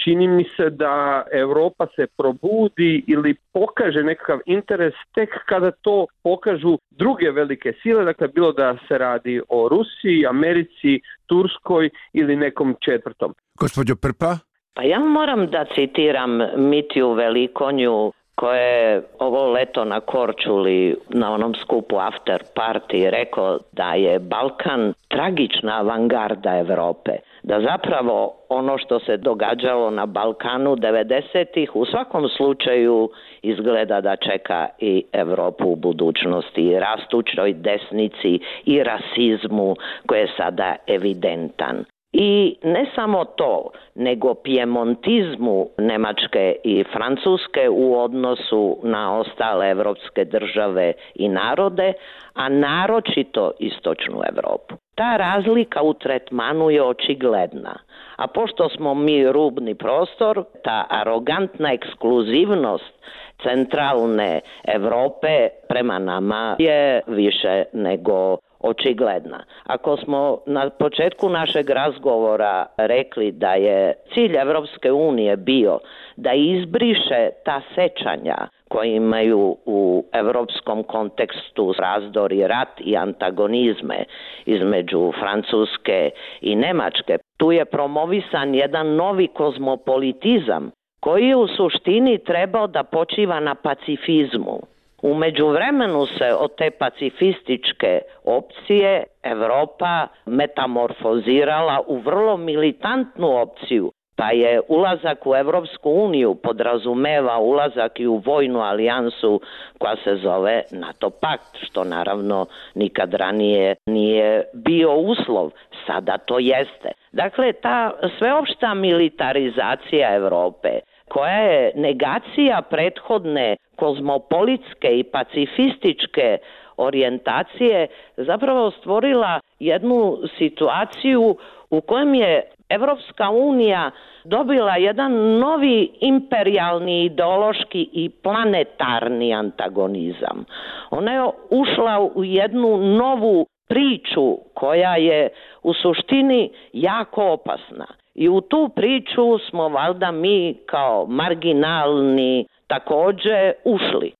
Čini mi se da Europa se probudi ili pokaže nekakav interes tek kada to pokažu druge velike sile, dakle bilo da se radi o Rusiji, Americi, Turskoj ili nekom četvrtom. Gospođo Prpa? Pa ja moram da citiram Mitiju Velikonju koja je ovo leto na Korčuli na onom skupu After Party rekao da je Balkan tragična avangarda Evrope. Da zapravo ono što se događalo na Balkanu devedesetih u svakom slučaju izgleda da čeka i Evropu u budućnosti, i rastućoj desnici i rasizmu koji je sada evidentan. I ne samo to, nego pjemontizmu Nemačke i Francuske u odnosu na ostale evropske države i narode, a naročito istočnu Evropu. Ta razlika u tretmanu je očigledna, a pošto smo mi rubni prostor, ta arogantna ekskluzivnost centralne Evrope prema nama je više nego očigledna. Ako smo na početku našeg razgovora rekli da je cilj Evropske unije bio da izbriše ta sećanja koji imaju u evropskom kontekstu razdor i rat i antagonizme između Francuske i Nemačke, tu je promovisan jedan novi kozmopolitizam koji je u suštini trebao da počiva na pacifizmu. U međuvremenu se od te pacifističke opcije Evropa metamorfozirala u vrlo militantnu opciju, pa je ulazak u Evropsku uniju podrazumeva ulazak i u vojnu alijansu koja se zove NATO pakt, što naravno nikad ranije nije bio uslov, sada to jeste. Dakle, ta sveopšta militarizacija Evrope, koja je negacija prethodne kozmopolitske i pacifističke orijentacije, zapravo stvorila jednu situaciju u kojem je Evropska unija dobila jedan novi imperijalni, ideološki i planetarni antagonizam. Ona je ušla u jednu novu priču koja je u suštini jako opasna. I u tu priču smo valjda mi kao marginalni također ušli.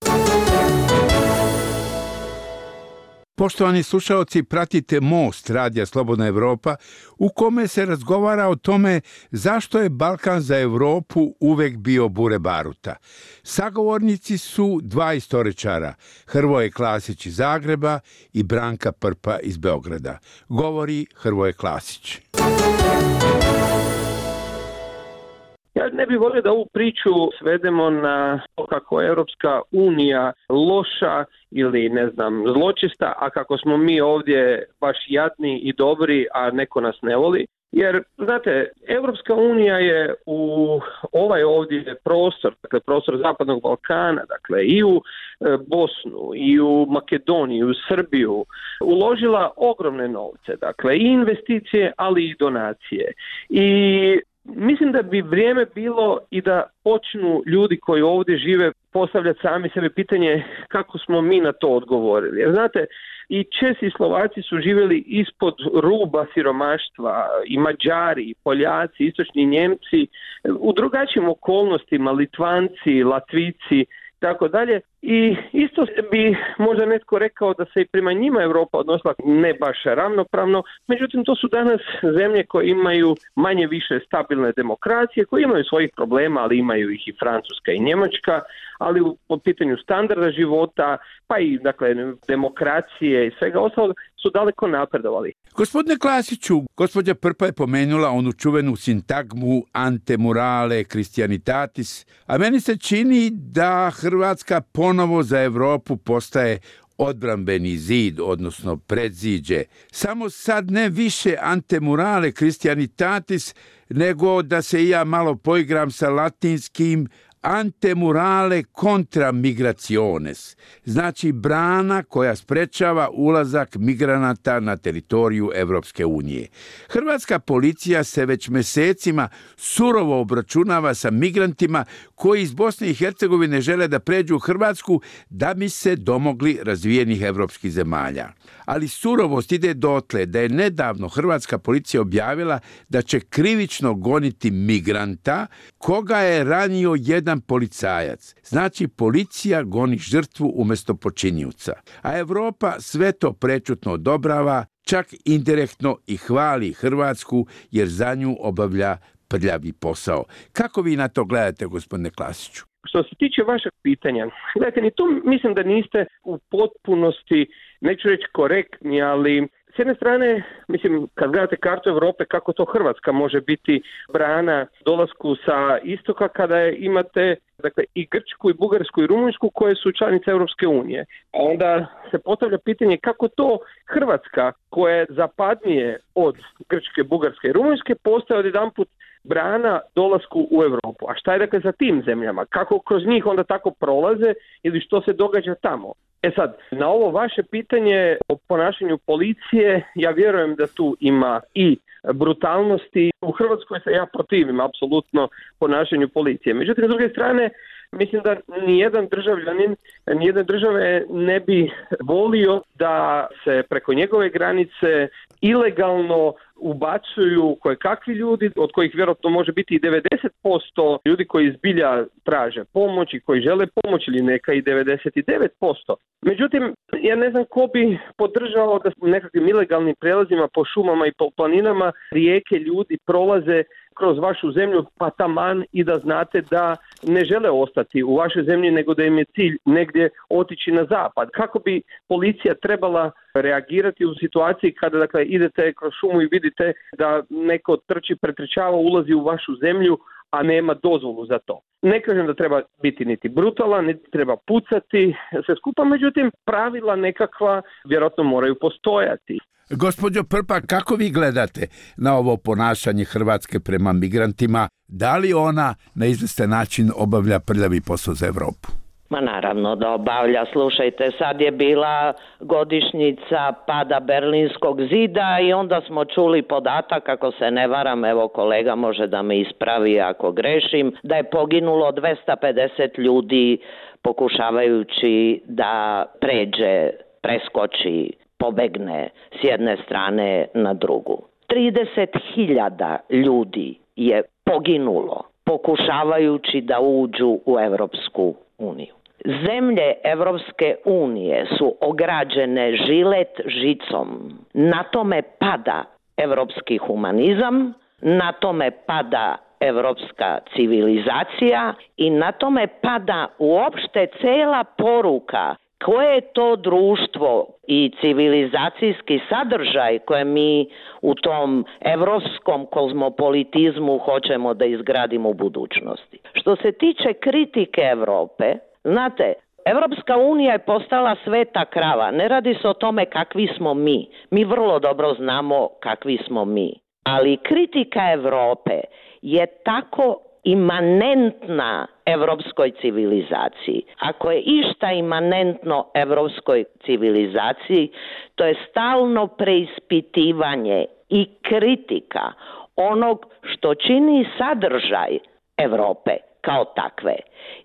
Poštovani slušalci, pratite Most Radija Slobodna Evropa u kome se razgovara o tome zašto je Balkan za Evropu uvek bio bure baruta. Sagovornici su dva istoričara, Hrvoje Klasić iz Zagreba i Branka Prpa iz Beograda. Govori Hrvoje Klasić. Ja ne bih volio da ovu priču svedemo na to kako je Europska unija loša ili, ne znam, zločista, a kako smo mi ovdje baš jadni i dobri, a neko nas ne voli. Jer, znate, Europska unija je u ovaj ovdje prostor, dakle prostor Zapadnog Balkana, dakle i u Bosnu, i u Makedoniju, i u Srbiju, uložila ogromne novce, dakle i investicije, ali i donacije. I mislim da bi vrijeme bilo i da počnu ljudi koji ovdje žive postavljati sami sebi pitanje kako smo mi na to odgovorili. Jer znate, i Česi i Slovaci su živjeli ispod ruba siromaštva, i Mađari, i Poljaci, istočni Njemci, u drugačijim okolnostima, Litvanci, Latvici, tako dalje. I isto bi možda netko rekao da se i prema njima Europa odnosila ne baš ravnopravno, međutim to su danas zemlje koje imaju manje više stabilne demokracije, koje imaju svojih problema, ali imaju ih i Francuska i Njemačka, ali u, po pitanju standarda života, pa i dakle demokracije i svega ostalog su daleko napredovali. Gospodine Klasiću, gospođa Prpa je pomenula onu čuvenu sintagmu ante murale Christianitatis, a meni se čini da Hrvatska ponovo za Evropu postaje odbrambeni zid, odnosno predziđe. Samo sad ne više ante murale Christianitatis, nego da se i ja malo poigram sa latinskim ante murale contra migrationes, znači brana koja sprečava ulazak migranata na teritoriju Evropske unije. Hrvatska policija se već mesecima surovo obračunava sa migrantima koji iz Bosne i Hercegovine žele da pređu u Hrvatsku da bi se domogli razvijenih evropskih zemalja. Ali surovost ide dotle da je nedavno hrvatska policija objavila da će krivično goniti migranta koga je ranio jedan policajac. Znači, policija goni žrtvu umjesto počinjuca. A Evropa sve to prečutno odobrava, čak indirektno i hvali Hrvatsku jer za nju obavlja prljavi posao. Kako vi na to gledate, gospodine Klasiću? Što se tiče vašeg pitanja, gledajte, ni tu mislim da niste u potpunosti, neću reći korektni, ali s jedne strane, mislim, kad gledate kartu Europe, kako to Hrvatska može biti brana dolasku sa istoka kada je, imate dakle, i Grčku, i Bugarsku, i Rumunjsku koje su članice Europske unije. A onda se postavlja pitanje kako to Hrvatska, koja je zapadnije od Grčke, Bugarske i Rumunjske, postaje odjedanput brana dolasku u Europu. A šta je dakle sa tim zemljama? Kako kroz njih onda tako prolaze ili što se događa tamo? E sad, na ovo vaše pitanje o ponašanju policije, ja vjerujem da tu ima i brutalnosti. U Hrvatskoj se ja protivim apsolutno ponašanju policije. Međutim, s druge strane, mislim da nijedan državljanin, nijedne države ne bi volio da se preko njegove granice ilegalno ubacuju kojekakvi ljudi, od kojih vjerojatno može biti i devedeset posto ljudi koji zbilja traže pomoć i koji žele pomoć, ili neka i devedeset devet posto. Međutim, ja ne znam ko bi podržao da nekakvim ilegalnim prelazima po šumama i po planinama rijeke ljudi prolaze kroz vašu zemlju, pa taman i da znate da ne žele ostati u vašoj zemlji, nego da im je cilj negdje otići na zapad. Kako bi policija trebala reagirati u situaciji kada dakle, idete kroz šumu i vidite da neko trči, pretrčava, ulazi u vašu zemlju, a nema dozvolu za to. Ne kažem da treba biti niti brutalan, niti treba pucati sve skupa, međutim pravila nekakva vjerojatno moraju postojati. Gospođo Prpa, kako vi gledate na ovo ponašanje Hrvatske prema migrantima? Da li ona na izvestan način obavlja prljavi posao za Evropu? Ma naravno da obavlja. Slušajte, sad je bila godišnjica pada Berlinskog zida i onda smo čuli podatak, ako se ne varam, evo kolega može da me ispravi ako grešim, da je poginulo dvesta pedeset ljudi pokušavajući da pređe, preskoči, pobegne s jedne strane na drugu. trideset hiljada ljudi je poginulo pokušavajući da uđu u Evropsku uniju. Zemlje Evropske unije su ograđene žilet žicom. Na tome pada evropski humanizam, na tome pada evropska civilizacija i na tome pada uopšte cela poruka koje je to društvo i civilizacijski sadržaj koje mi u tom evropskom kozmopolitizmu hoćemo da izgradimo u budućnosti. Što se tiče kritike Evrope, znate, Evropska unija je postala sveta krava. Ne radi se o tome kakvi smo mi. Mi vrlo dobro znamo kakvi smo mi. Ali kritika Evrope je tako imanentna evropskoj civilizaciji. Ako je išta imanentno evropskoj civilizaciji, to je stalno preispitivanje i kritika onog što čini sadržaj Evrope kao takve.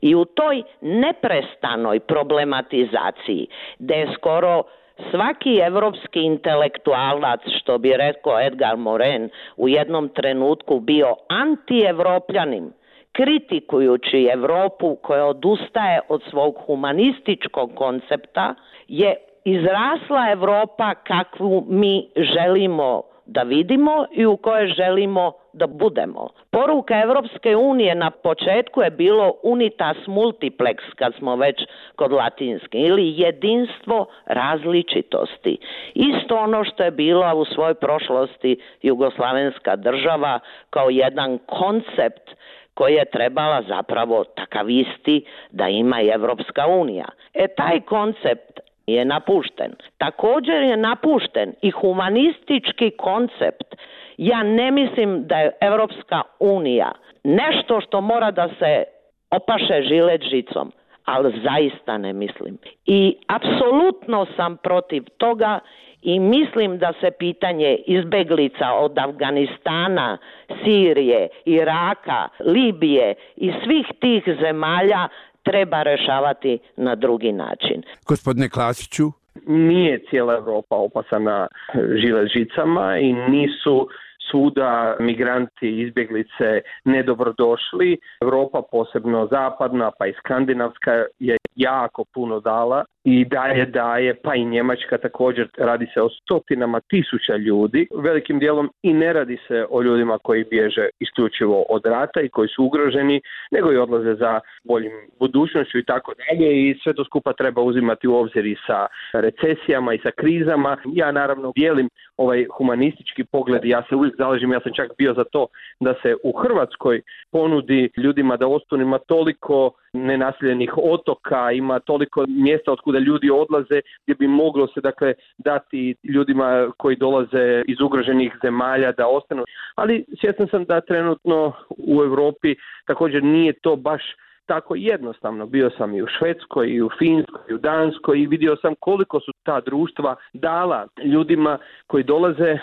I u toj neprestanoj problematizaciji, gde je skoro svaki evropski intelektualac, što bi rekao Edgar Morin, u jednom trenutku bio anti-evropljanin, kritikujući Evropu koja odustaje od svog humanističkog koncepta, je izrasla Evropa kakvu mi želimo da vidimo i u kojoj želimo da budemo. Poruka Evropske unije na početku je bilo unitas multiplex, kad smo već kod latinske, ili jedinstvo različitosti. Isto ono što je bila u svojoj prošlosti jugoslavenska država kao jedan koncept koji je trebala zapravo takav isti da ima i Evropska unija. E taj koncept je napušten. Također je napušten i humanistički koncept. Ja ne mislim da je Evropska unija nešto što mora da se opaše žilet žicom, ali zaista ne mislim. I apsolutno sam protiv toga i mislim da se pitanje izbeglica od Afganistana, Sirije, Iraka, Libije i svih tih zemalja treba rešavati na drugi način. Gospodine Klasiću? Nije cijela Evropa opasana žilet žicama i nisu svuda migranti i izbjeglice nedobrodošli. Evropa, posebno zapadna pa i skandinavska, je jako puno dala i daje, daje, pa i Njemačka također. Radi se o stotinama tisuća ljudi, velikim dijelom i ne radi se o ljudima koji bježe isključivo od rata i koji su ugroženi, nego i odlaze za boljim budućnošću i tako dalje, i sve to skupa treba uzimati u obzir i sa recesijama i sa krizama. Ja naravno dijelim ovaj humanistički pogled, ja se uvijek zalažem, ja sam čak bio za to da se u Hrvatskoj ponudi ljudima da ostanu, ima toliko nenaseljenih otoka, ima toliko mjesta od kuda ljudi odlaze gdje bi moglo se dakle dati ljudima koji dolaze iz ugroženih zemalja da ostanu. Ali svjestan sam da trenutno u Europi također nije to baš tako jednostavno. Bio sam i u Švedskoj, i u Finskoj, i u Danskoj i vidio sam koliko su ta društva dala ljudima koji dolaze.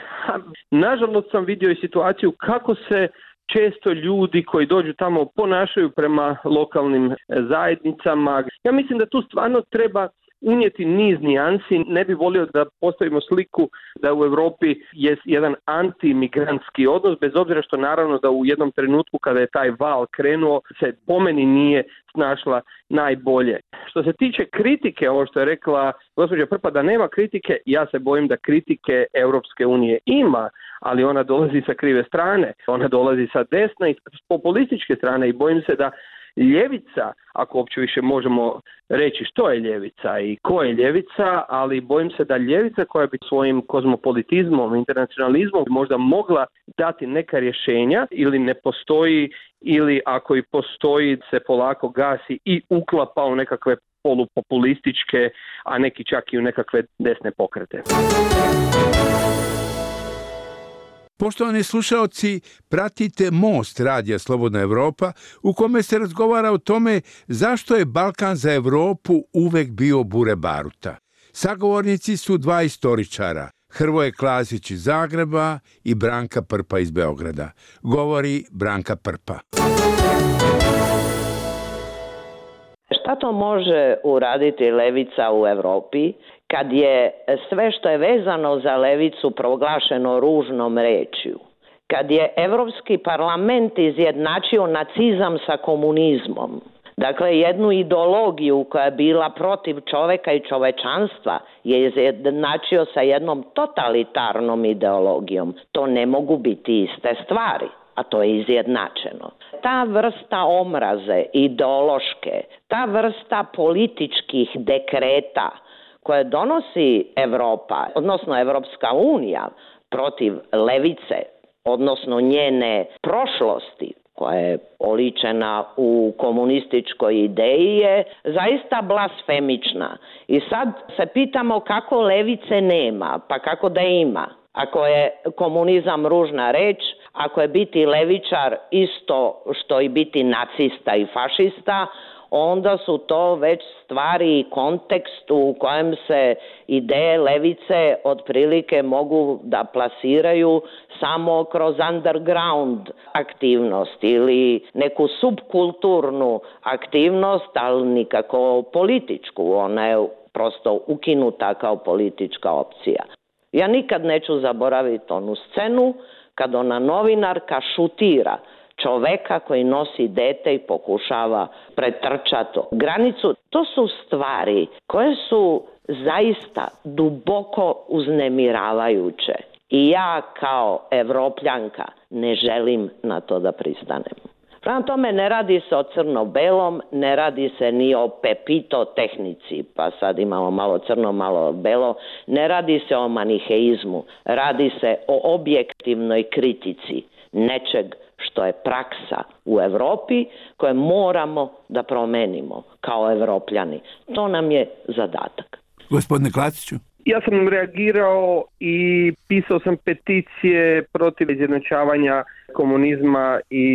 Nažalost sam vidio i situaciju kako se često ljudi koji dođu tamo ponašaju prema lokalnim zajednicama. Ja mislim da tu stvarno treba unijeti niz nijansi. Ne bi volio da postavimo sliku da u Europi je jedan antimigrantski odnos, bez obzira što naravno da u jednom trenutku kada je taj val krenuo se po meni nije snašla najbolje. Što se tiče kritike, ovo što je rekla gospođa Prpa da nema kritike, ja se bojim da kritike Europske unije ima, ali ona dolazi sa krive strane, ona dolazi sa desne i populističke strane i bojim se da ljevica, ako uopće više možemo reći što je ljevica i ko je ljevica, ali bojim se da ljevica koja bi svojim kozmopolitizmom, internacionalizmom možda mogla dati neka rješenja ili ne postoji, ili ako i postoji se polako gasi i uklapa u nekakve polupopulističke, a neki čak i u nekakve desne pokrete. Poštovani slušaoci, pratite Most radija Slobodna Evropa u kome se razgovara o tome zašto je Balkan za Evropu uvek bio bure baruta. Sagovornici su dva istoričara, Hrvoje Klasić iz Zagreba i Branka Prpa iz Beograda. Govori Branka Prpa. Šta to može uraditi levica u Evropi kad je sve što je vezano za levicu proglašeno ružnom rečju? kad je Evropski parlament izjednačio nacizam sa komunizmom, dakle jednu ideologiju koja je bila protiv čoveka i čovečanstva, je izjednačio sa jednom totalitarnom ideologijom. To ne mogu biti iste stvari, a to je izjednačeno. Ta vrsta omraze ideološke, ta vrsta političkih dekreta koje donosi Evropa, odnosno Evropska unija protiv levice, odnosno njene prošlosti, koja je oličena u komunističkoj ideji, je zaista blasfemična. I sad se pitamo kako levice nema, pa kako da ima. Ako je komunizam ružna reč, ako je biti levičar isto što i biti nacista i fašista, onda su to već stvari i kontekst u kojem se ideje levice otprilike mogu da plasiraju samo kroz underground aktivnost ili neku subkulturnu aktivnost, ali nikako političku. Ona je prosto ukinuta kao politička opcija. Ja nikad neću zaboraviti onu scenu kad ona novinarka šutira čoveka koji nosi dete i pokušava pretrčati granicu. To su stvari koje su zaista duboko uznemiravajuće. I ja kao Evropljanka ne želim na to da pristanem. Prema tome ne radi se o crno-belom, ne radi se ni o pepito tehnici, pa sad imamo malo crno, malo belo, ne radi se o maniheizmu, radi se o objektivnoj kritici nečeg što je praksa u Evropi koje moramo da promenimo kao Evropljani. To nam je zadatak. Gospodine Klasiću. Ja sam reagirao i pisao sam peticije protiv izjednačavanja komunizma i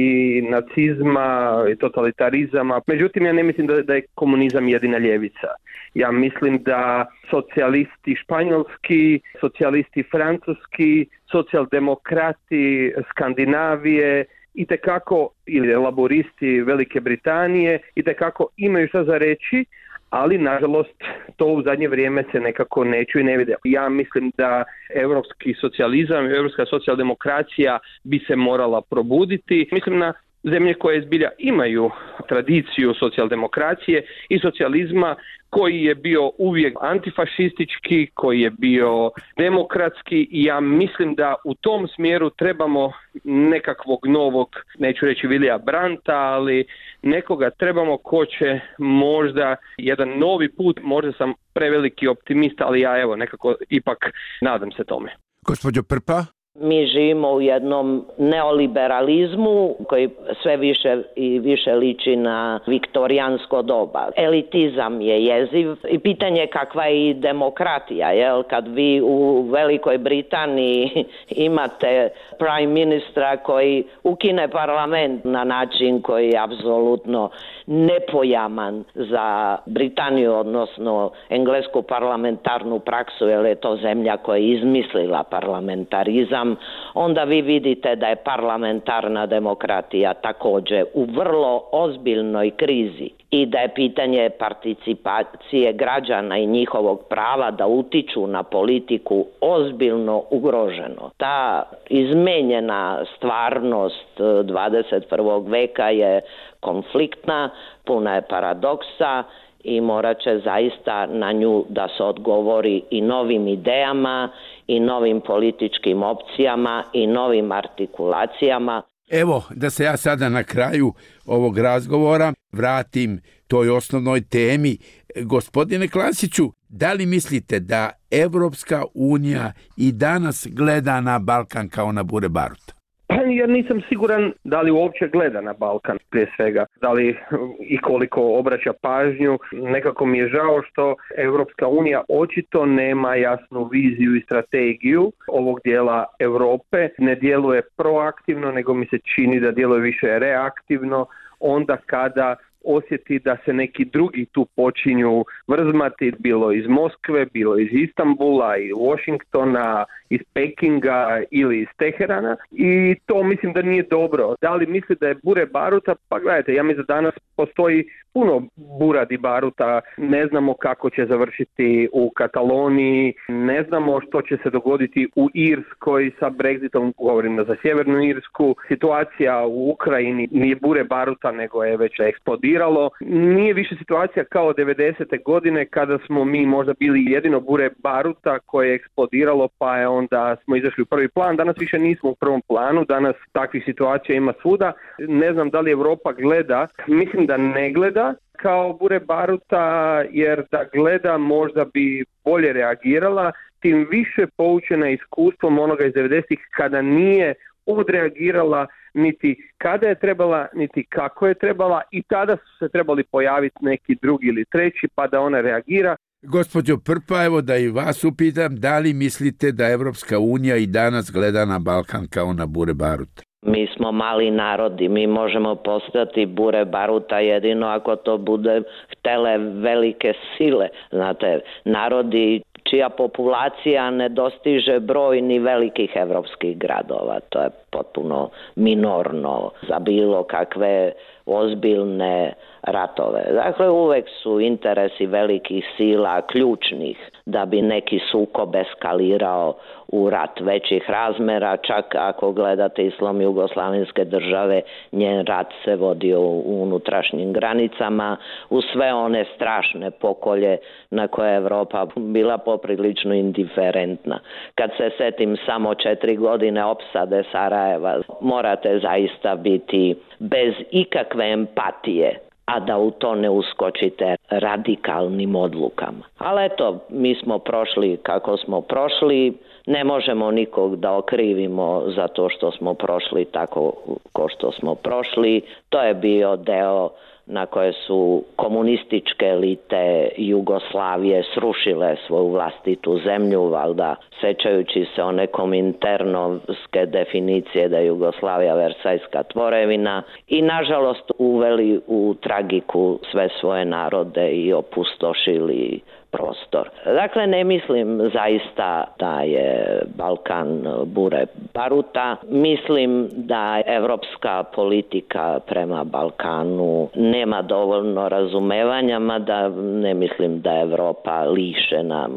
nacizma i totalitarizama. Međutim, ja ne mislim da, da je komunizam jedina ljevica. Ja mislim da socijalisti španjolski, socijalisti francuski, socijaldemokrati Skandinavije itekako, ili laboristi Velike Britanije, itekako imaju šta za reći, ali nažalost to u zadnje vrijeme se nekako ne čuje i ne vide. Ja mislim da europski socijalizam i europska socijaldemokracija bi se morala probuditi. Mislim na zemlje koje zbilja imaju tradiciju socijaldemokracije i socijalizma koji je bio uvijek antifašistički, koji je bio demokratski i ja mislim da u tom smjeru trebamo nekakvog novog, neću reći Vilija Brandta, ali nekoga trebamo ko će možda jedan novi put, možda sam preveliki optimist, ali ja evo nekako ipak nadam se tome. Gospođo Prpa? Mi živimo u jednom neoliberalizmu koji sve više i više liči na viktorijansko doba. Elitizam je jeziv i pitanje je kakva je i demokratija. Jel? Kad vi u Velikoj Britaniji imate prime ministra koji ukine parlament na način koji je apsolutno nepojaman za Britaniju, odnosno englesku parlamentarnu praksu, jer je to zemlja koja je izmislila parlamentarizam, onda vi vidite da je parlamentarna demokratija također u vrlo ozbiljnoj krizi i da je pitanje participacije građana i njihovog prava da utiču na politiku ozbiljno ugroženo. Ta izmenjena stvarnost dvadeset prvog veka je konfliktna, puna je paradoksa i morat će zaista na nju da se odgovori i novim idejama i novim političkim opcijama i novim artikulacijama. Evo, da se ja sada na kraju ovog razgovora vratim toj osnovnoj temi. Gospodine Klasiću, da li mislite da Evropska unija i danas gleda na Balkan kao na bure baruta? Pa ja nisam siguran da li uopće gleda na Balkan prije svega, da li i koliko obraća pažnju. Nekako mi je žao što Evropska unija očito nema jasnu viziju i strategiju ovog dijela Europe. Ne djeluje proaktivno, nego mi se čini da djeluje više reaktivno onda kada osjeti da se neki drugi tu počinju vrzmati, bilo iz Moskve, bilo iz Istanbula, iz Washingtona, iz Pekinga ili iz Teherana, i to mislim da nije dobro. Da li misli da je bure baruta? Pa gledajte, ja mislim da danas postoji puno buradi baruta, ne znamo kako će završiti u Kataloniji, ne znamo što će se dogoditi u Irskoj sa Brexitom, govorim za Sjevernu Irsku, situacija u Ukrajini nije bure baruta nego je već eksplodiralo, nije više situacija kao devedesete godine kada smo mi možda bili jedino bure baruta koje je eksplodiralo pa je onda smo izašli u prvi plan, danas više nismo u prvom planu, danas takvih situacija ima svuda, ne znam da li Europa gleda, mislim da ne gleda kao bure baruta, jer da gleda možda bi bolje reagirala, tim više poučena iskustvom onoga iz devedesetih kada nije odreagirala niti kada je trebala, niti kako je trebala, i tada su se trebali pojaviti neki drugi ili treći pa da ona reagira. Gospođo Prpa, evo da i vas upitam, da li mislite da Evropska unija i danas gleda na Balkan kao na bure baruta? Mi smo mali narodi, mi možemo postati bure baruta jedino ako to bude htele velike sile. Znate, narodi čija populacija ne dostiže broj ni velikih evropskih gradova, to je potpuno minorno za bilo kakve ozbiljne ratove. Dakle, uvek su interesi velikih sila ključnih da bi neki sukob eskalirao u rat većih razmera, čak ako gledate Islam jugoslavenske države, njen rat se vodio u unutrašnjim granicama, u sve one strašne pokolje na koje je Evropa bila poprilično indiferentna. Kad se setim samo četiri godine opsade Sarajeva, morate zaista biti bez ikakve empatije, a da u to ne uskočite radikalnim odlukama. Ali eto, mi smo prošli kako smo prošli, ne možemo nikog da okrivimo za to što smo prošli tako ko što smo prošli. To je bio deo na koje su komunističke elite Jugoslavije srušile svoju vlastitu zemlju, valjda sećajući se one kominternovske definicije da je Jugoslavija versajska tvorevina, i nažalost uveli u tragiku sve svoje narode i opustošili prostor. Dakle, ne mislim zaista da je Balkan bure baruta. Mislim da evropska politika prema Balkanu nema dovoljno razumevanja, mada ne mislim da je Evropa lišena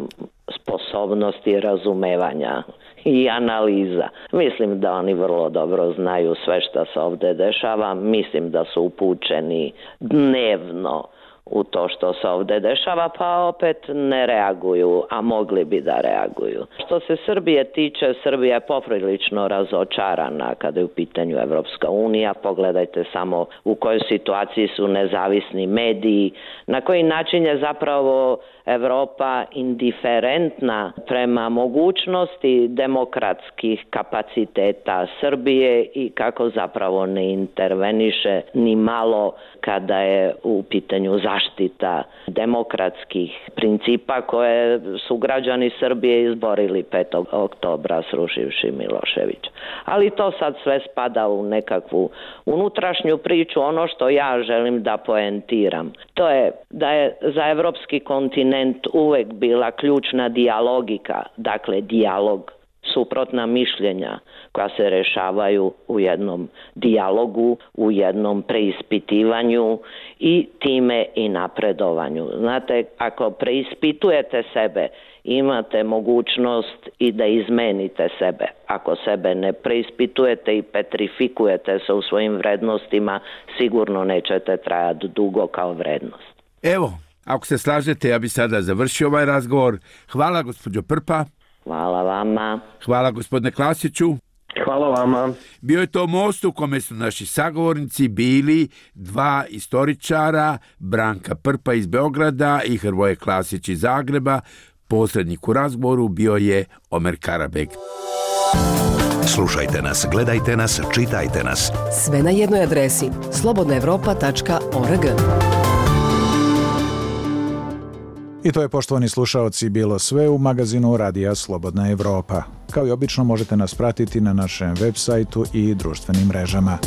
sposobnosti razumevanja i analiza. Mislim da oni vrlo dobro znaju sve što se ovdje dešava. Mislim da su upućeni dnevno u to što se ovdje dešava, pa opet ne reaguju, a mogli bi da reaguju. Što se Srbije tiče, Srbija je poprilično razočarana kada je u pitanju Evropska unija. Pogledajte samo u kojoj situaciji su nezavisni mediji, na koji način je zapravo Evropa indiferentna prema mogućnosti demokratskih kapaciteta Srbije i kako zapravo ne interveniše ni malo kada je u pitanju zaštita demokratskih principa koje su građani Srbije izborili petog oktobra srušivši Miloševića. Ali to sad sve spada u nekakvu unutrašnju priču. Ono što ja želim da poentiram, to je da je za evropski kontinent uvek bila ključna dijalogika, dakle dijalog, suprotna mišljenja koja se rešavaju u jednom dijalogu, u jednom preispitivanju i time i napredovanju. Znate, ako preispitujete sebe, imate mogućnost i da izmenite sebe. Ako sebe ne preispitujete i petrifikujete se u svojim vrednostima, sigurno nećete trajati dugo kao vrednost. Evo, ako se slažete, ja bi sada završio ovaj razgovor. Hvala, gospođo Prpa. Hvala vama. Hvala, gospodine Klasiću. Hvala vama. Bio je to most u kome su naši sagovornici bili dva istoričara, Branka Prpa iz Beograda i Hrvoje Klasić iz Zagreba. Posrednik u razgovoru bio je Omer Karabeg. Slušajte nas, gledajte nas, čitajte nas. Sve na jednoj adresi slobodna evropa tačka org. I to je, poštovani slušaoci, bilo sve u magazinu Radija Slobodna Evropa. Kao i obično možete nas pratiti na našem web sajtu i društvenim mrežama.